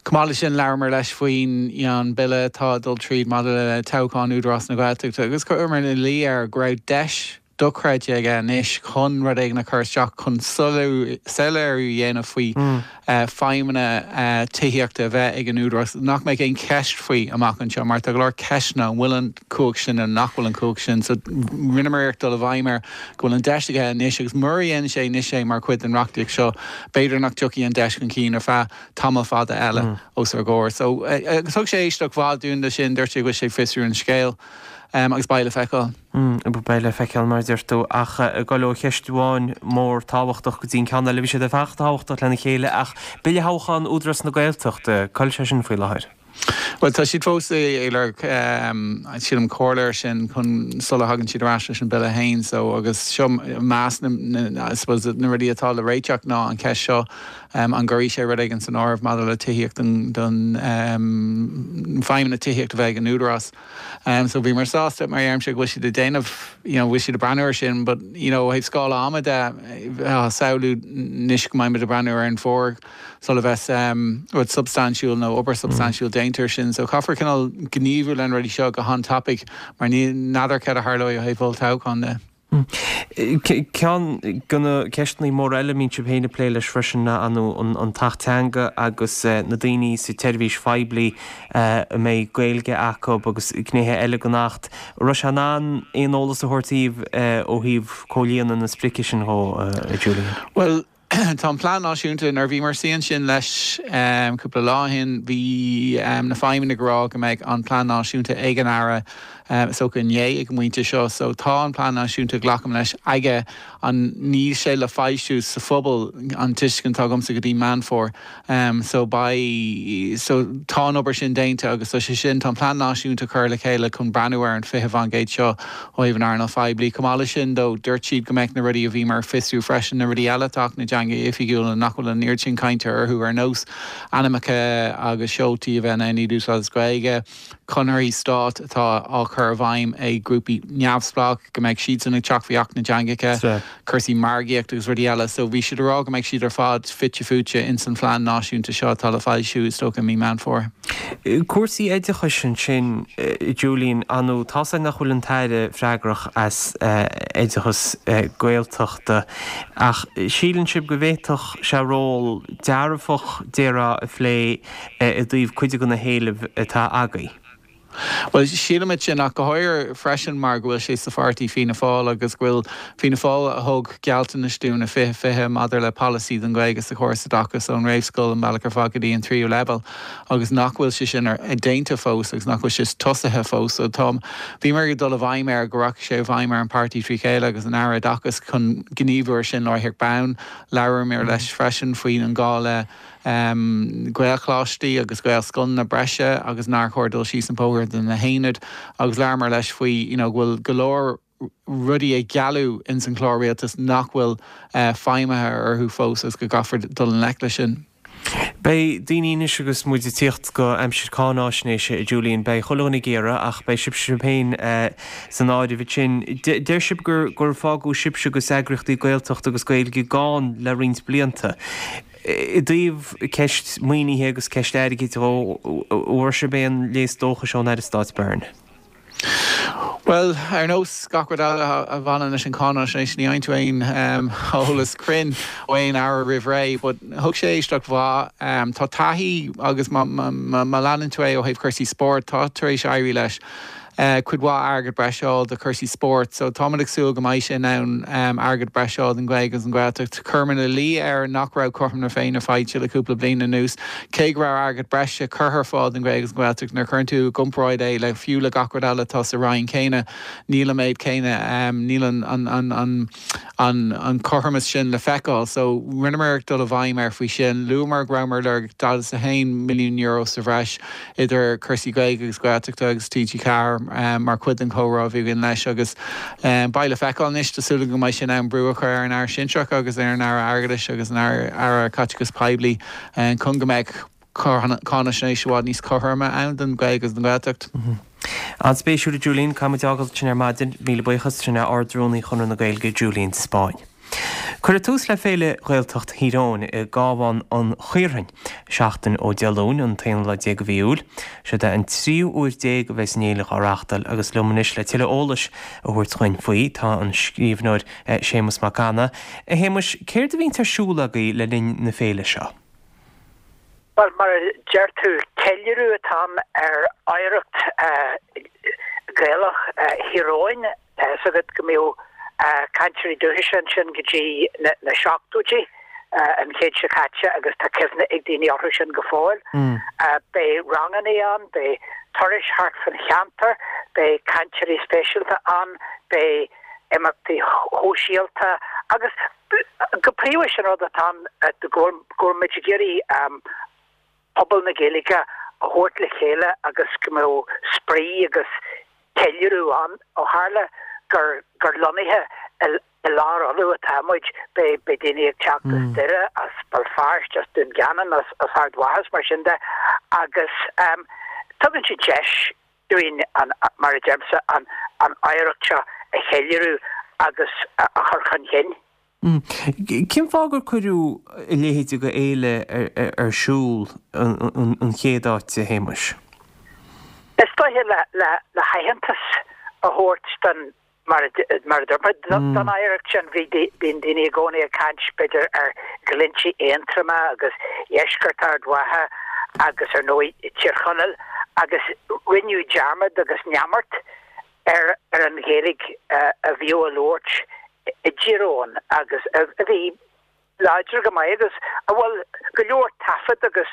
Chomh maith leis sin, labhramar leis faoin an bille atá ag dul tríd maidir le toghchán Údarás na Gaeltachta agus chuireamar ina luí air go raibh deis dochreidte aige anois chun rud éigin a chur isteach chun soiléiriú a dhéanamh faoi feidhmeanna tithíochta a bheith ag an Údarás, nach mbeadh aon cheist faoi amach anseo mar tá go leor ceisteanna, an bhfuil an chumhacht sin nó nach bhfuil an chumhacht sin. So rinneamar iarracht dul i bhfeidhm air go bhfuil an deis aige anois agus mura dhéanann sé anois é mar chuid den reachtaíocht seo, b'fhéidir nach dtiocfaidh an deis chun cinn ar feadh tamall fada eile os ár gcomhair. So agus thug sé éisteacht mhaith dúinn leis sin, dúirt sé go bhfuil sé ag fiosrú an scéil agus beidh le feiceáil. Beidh le feiceáil mar a deir tú, ach ag dul ó cheist amháin mór tábhachtach go dtí an ceann eile, bhí siad ar fad tábhachtach lena chéile, ach Bille Thoghchán Údarás na Gaeltachta, cá bhfuil sé sin faoi láthair? Bhuel, tá siad fós ag lorg, sílim, comhairle air sin chun sula thagann siad ar ais leis an bille féin. So, agus seo meas na, I suppose, na rudaí atá le réiteach ná an cheist seo, an gcuirfidh sé rud éigin san áireamh maidir le tithíocht don feidhmeanna tithíochta a bheith ag an Údarás. So bhíomar sásta, mar a deirimse, go bhfuil siad ag déanamh, you know, bhfuil siad ag breathnú air sin, but, you know, ó thaobh scála ama de, tá samhlú anois go mbeidh muid ag breathnú ar an bhfómhar sula bheas rud substaintiúil nó obair substaintiúil déanta air sin. So caithfear cineál gníomhú leis na rudaí seo go han-tapaidh mar ní n'fheadar céard a tharlóidh ó thaobh olltoghchán de. Ceann de na ceisteanna móra eile a mbíonn sibh féin ag plé leis freisin ná an tAcht Teanga agus na daoine sa tseirbhís phoiblí a mbeidh Gaeilge acu agus gnéithe eile den Acht. An raibh sé in ann aon eolas a thabhairt daoibh ó thaobh comhlíonadh na sprice sin dhó, a Julian? Bhuel, tá an plean náisiúnta, nuair a bhíomar ag suí ansin leis cúpla lá ó shin, bhí na feidhmeannaigh ag rá go mbeidh an plean náisiúnta ag an Aire is dócha inné ag an bpointe seo. So tá an plean náisiúnta, glacaim leis, aige. An níl sé le foilsiú sa phobal, an tuiscint atá agamsa, go dtí Meán Fómhair. So beidh, so tá an obair sin déanta agus tá sé sin, tá an plean náisiúnta curtha le chéile chun breathnú ar an 20% seo ó thaobh an earnáil phoiblí. Chomh maith leis sin though, dúirt siad go mbeadh na rudaí a bhíomar ag fiosrú freisin, na rudaí eile atá Acht na dTeangacha Oifigiúla nach bhfuil an oiread sin cainte orthu ar nós ainmneacha agus seoltaí a bheith in ann iad a úsáid as Gaeilge, conarthaí stáit atá á chur i bhfeidhm ag grúpaí neamhspleách, go mbeidh siadsan ag teacht faoi Acht na dTeangacha, cúrsaí margaíochta agus rudaí eile. So bhí siad ag rá go mbeidh siad ar fad fite fuaite ins an phlean náisiúnta seo atá le foilsiú is dócha i mí Meán Fómhair. Cúrsaí oideachais ansin, Julian, ar ndóigh, tá's againn nach bhfuil an tAire freagrach as oideachas Gaeltachta ach síleann sibh go bhféadfadh sé ról dearfach, déarfá, a phlé i dtaobh cuid de na héilimh atá agaibh? Bhuel, sílimid sin, ach go háirithe freisin mar go bhfuil sé sa pháirtí Fianna Fáil agus go bhfuil Fianna Fáil a thug gealltanais dúinn i 2020 maidir le polasaí don Ghaeilge sa chóras oideachais ón réamhscoil an bealach ar fad go dtí an tríú leibhéal agus nach bhfuil sé sin déanta fós agus nach bhfuil sé tosaithe fós. So tá, bhíomar ag dul i bhfeidhm air go rachaidh sé i bhfeidhm ar an páirtí trí chéile agus an Aire Oideachais chun gníomhú ar sin láithreach bonn. Labhramar leis freisin faoin an gá le Gaelcholáistí agus Gaelscoileanna breise agus nár chóir dul síos an bóthar de na haonaid agus labhramar leis faoi you know go bhfuil go leor rudaí a gealladh ins an chlár rialtais nach bhfuil feidhmithe orthu fós agus go gcaithfear dul i ngleic leis sin. Beidh daoine anois agus muid ag tíocht go aimsir cáináisnéise, a Julian, beidh chuile dhuine ag iarraidh ach beidh sibhse féin san áireamh ansin. Deir sibh gur fágadh sibhse agus eagraíochtaí Gaeltachta agus Gaeilge gann le roinnt blianta. I dtaobh ceist maoinithe agus ceist airgid dhó, an bhfuair sibh aon léas dóchais ón Aire Stáit Byrne? Bhuel, ar nós gach rud eile a bhaineann leis an cháináisnéis, ní fhaigheann tú aon eolas cruinn ó aon aire roimh ré, but thug sé éisteacht mhaith. Tá taithí agus má leanann tú é ó thaobh cúrsaí spóirt, tá tar éis éirí leis. cuid mhaith airgead breise a fháil do chúrsaí spóirt so táimid ag súil go mbeidh sé in ann airgead breise a fháil don Ghaeilge agus an Ghaeltacht. Chuireamar ina luí air nach raibh cothrom na Féinne faighte le cúpla bliain anuas. Cé go raibh airgead breise curtha ar fáil don Ghaeilge agus an Ghaeltacht, nuair a chuireann tú i gcomparáid é le fiú le gach rud eile atá sa Roinn céanna, níl an méid céanna, níl an an an cothromas sin le feiceáil. So rinneamar iarracht dul i bhfeidhm air faoi sin. Luamar go rabhamar ag lorg €41 milliún sa bhreis idir cúrsaí Gaeilge agus Gaeltachta agus TG4 mar chuid den chomhrá a bhí againn leis agus beidh le feiceáil anois. Tá súil agam go mbeidh sé in ann brú a chur ar an Aire Sinsearach agus ar an Aire Airgeadais agus an Aire Caiteachais Poiblí chun go mbeadh. cáinaisnéis i bhfad níos cothroime ann don Ghaeilge agus don Ghaeltacht. An-spéisiúil a Julian, caithfidh muid fhágáil ansin ar maidin. Míle buíochas, sin é Ard-Rúnaí Chonradh na Gaeilge, Julian de Spáinn. Cuireadh tús le Féile Ghaeltacht Thír Eoghain i gCabhán an Chaorthainn seachtain ó Dé Luain, an t-aonú lá déag de mhí Iúil. Seod é an tríú huair déag a bheas an fhéile á reáchtáil agus liom anois le tuilleadh eolais a thabhairt dhuinn faoi tá an scríbhneoir Séamus Mac Annaidh. A Shéamuis, céard a bhíonns ar siúl agaibh le linn na féile seo? Bhuel, mar a deir tú, ceiliúradh atá ann ar oidhreacht Ghaelach Thír Eoghain. Tá fhios agat go mbíodh cainteoirí dúchais ansin go dtí na seachtóidí an chéid seo caite agus tá cuimhne ag daoine orthu sin go fóill. Beidh ranganna ann, beidh turais thart fan cheantar, beidh cainteoirí speisialta ann, beidh imeachtaí shóisialta agus Go príomha sin rud atá ann go bhfuil muid ag iarraidh pobal na Gaeilge a thabhairt le chéile agus go mbeadh spraoi agus ceiliúradh ann. Ó tharla gur gur lonnaithe i lár Uladh atá muid, beidh daoine ag teacht as Doire, as Béal Feirste, as Dún Geanainn, as Ard Mhacha is mar sin de agus tugann sé deis dúinn, mar a deirimse, an oidhreacht seo a cheiliúradh agus a chur chun chinn. Cén fáth gur cuireadh a leithéid de fhéile ar siúl an chéad áit, a Shéamuis? Is dóiche le haitheantas a thabhairt don Mar a dúirt mé, don oidhreacht sin, bhí, bíonn daoine i gcónaí ag caint, b'fhéidir, ar Ghlinntí Aontroma agus Dheisceart Ard Mhacha agus, ar ndóigh, Tír Chonaill agus rinneadh dearmad agus neamart ar ar an Ghaeilge a bhíodh á labhairt i dTír Eoghain agus a bhí láidir go maith agus a bhfuil go leor taifead agus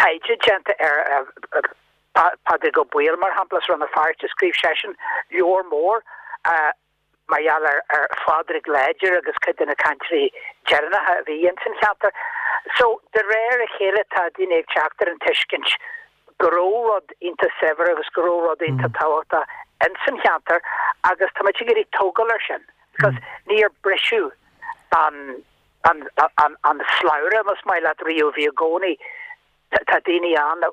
taighde déanta ar Pádraig Ó Baoill, mar shampla, as Rann na Feirste, scríobh seisean leabhar mór mar gheall ar Phádraig Láidir agus cuid de na cainteoirí deireanacha a bhí ins an cheantar. So, de réir a chéile tá daoine ag teacht ar an tuiscint go raibh rud iontach saibhir agus go raibh rud iontach tábhachtach ins an cheantar agus tá muid ag iarraidh tógáil ar sin because níor briseadh an an slabhra, más maith leat, riamh, bhí i gcónaí, tá daoine ann a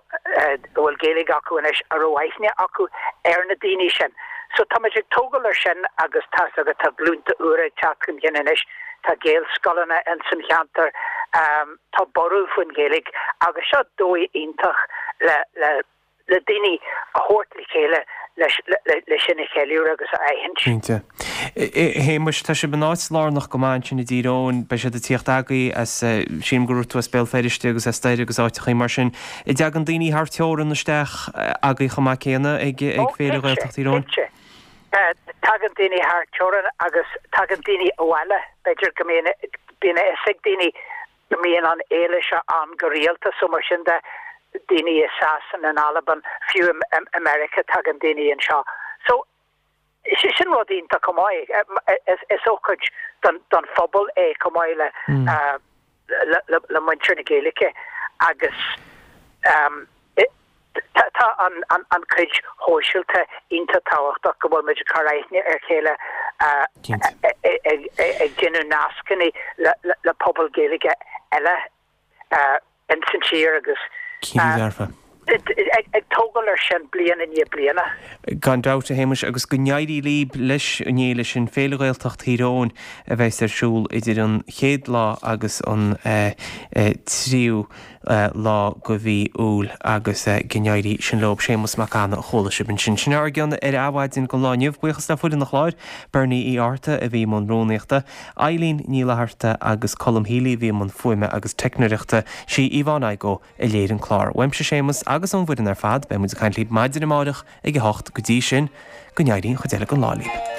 bhfuil Gaeilge acu anois a raibh aithne acu ar na daoine sin. So tá muid ag tógáil ar sin agus tá's agat tá glúnta úra ag teacht chun cinn anois, tá Gaelscoileanna ins an cheantar, tá borradh faoin Ghaeilge agus seo dóigh iontach le le le daoine a thabhairt le chéile le sin a cheiliúradh agus a aithint. Cinnte. A Shéamuis, tá sibh in áit lárnach go maith ansin i dTír Eoghain. Beidh siad ag tíocht agaibh as, sílim go raibh tú as Béal Feirste agus as Doire agus áiteachaí mar sin. An dtagann daoine thar teorann isteach agaibh chomh maith céanna ag Féile Ghaeltacht Thír Eoghain? Cinnte. Tagann daoine thar teorann agus tagann daoine abhaile. B'fhéidir go mbíonn, bíonn a fhios ag daoine go mbíonn an fhéile seo ann go rialta so mar sin de, daoine i Sasana, in Albain, fiú i Meiriceá tagann daoine anseo. So sin rud iontach chomh maith. Is ócáid don phobal é chomh maith le le muintir na Gaeilge agus Tá an chuid shóisialta iontach tábhachtach, go bhfuil muid ag cur aithne ar chéile, ag déanamh nascanna le pobal Gaeilge eile ins an tír agus ag tógáil ar sin bliain i ndiaidh bliana. Gan dabht, a Shéamuis, agus go n-éirí libh leis an fhéile sin, Féile Ghaeltacht Thír Eoghain, a bheas ar siúl idir an chéad lá agus an tríú lá de mhí Iúil agus go n-éirí sin leob. Séamus Mac Annaidh a chuala sibh ansin. Sin ár gcion ar Adhmhaidin don lá inniu. Buíochas le foireann an chláir, Bernie Uí Fhátharta a bhí i mbun rúnaíochta, Eileen Ní Fhlatharta agus Colm Healy a bhí i mbun fuaime agus teicneoireachta. Sí Yvonne Igoe a léirigh an clár. Uaimse Séamus agus ón bhfoireann ar fad, beidh muid ag caint libh maidin amárach ag a hocht. Go dtí sin, go n-éirí an chuid eile den lá libh.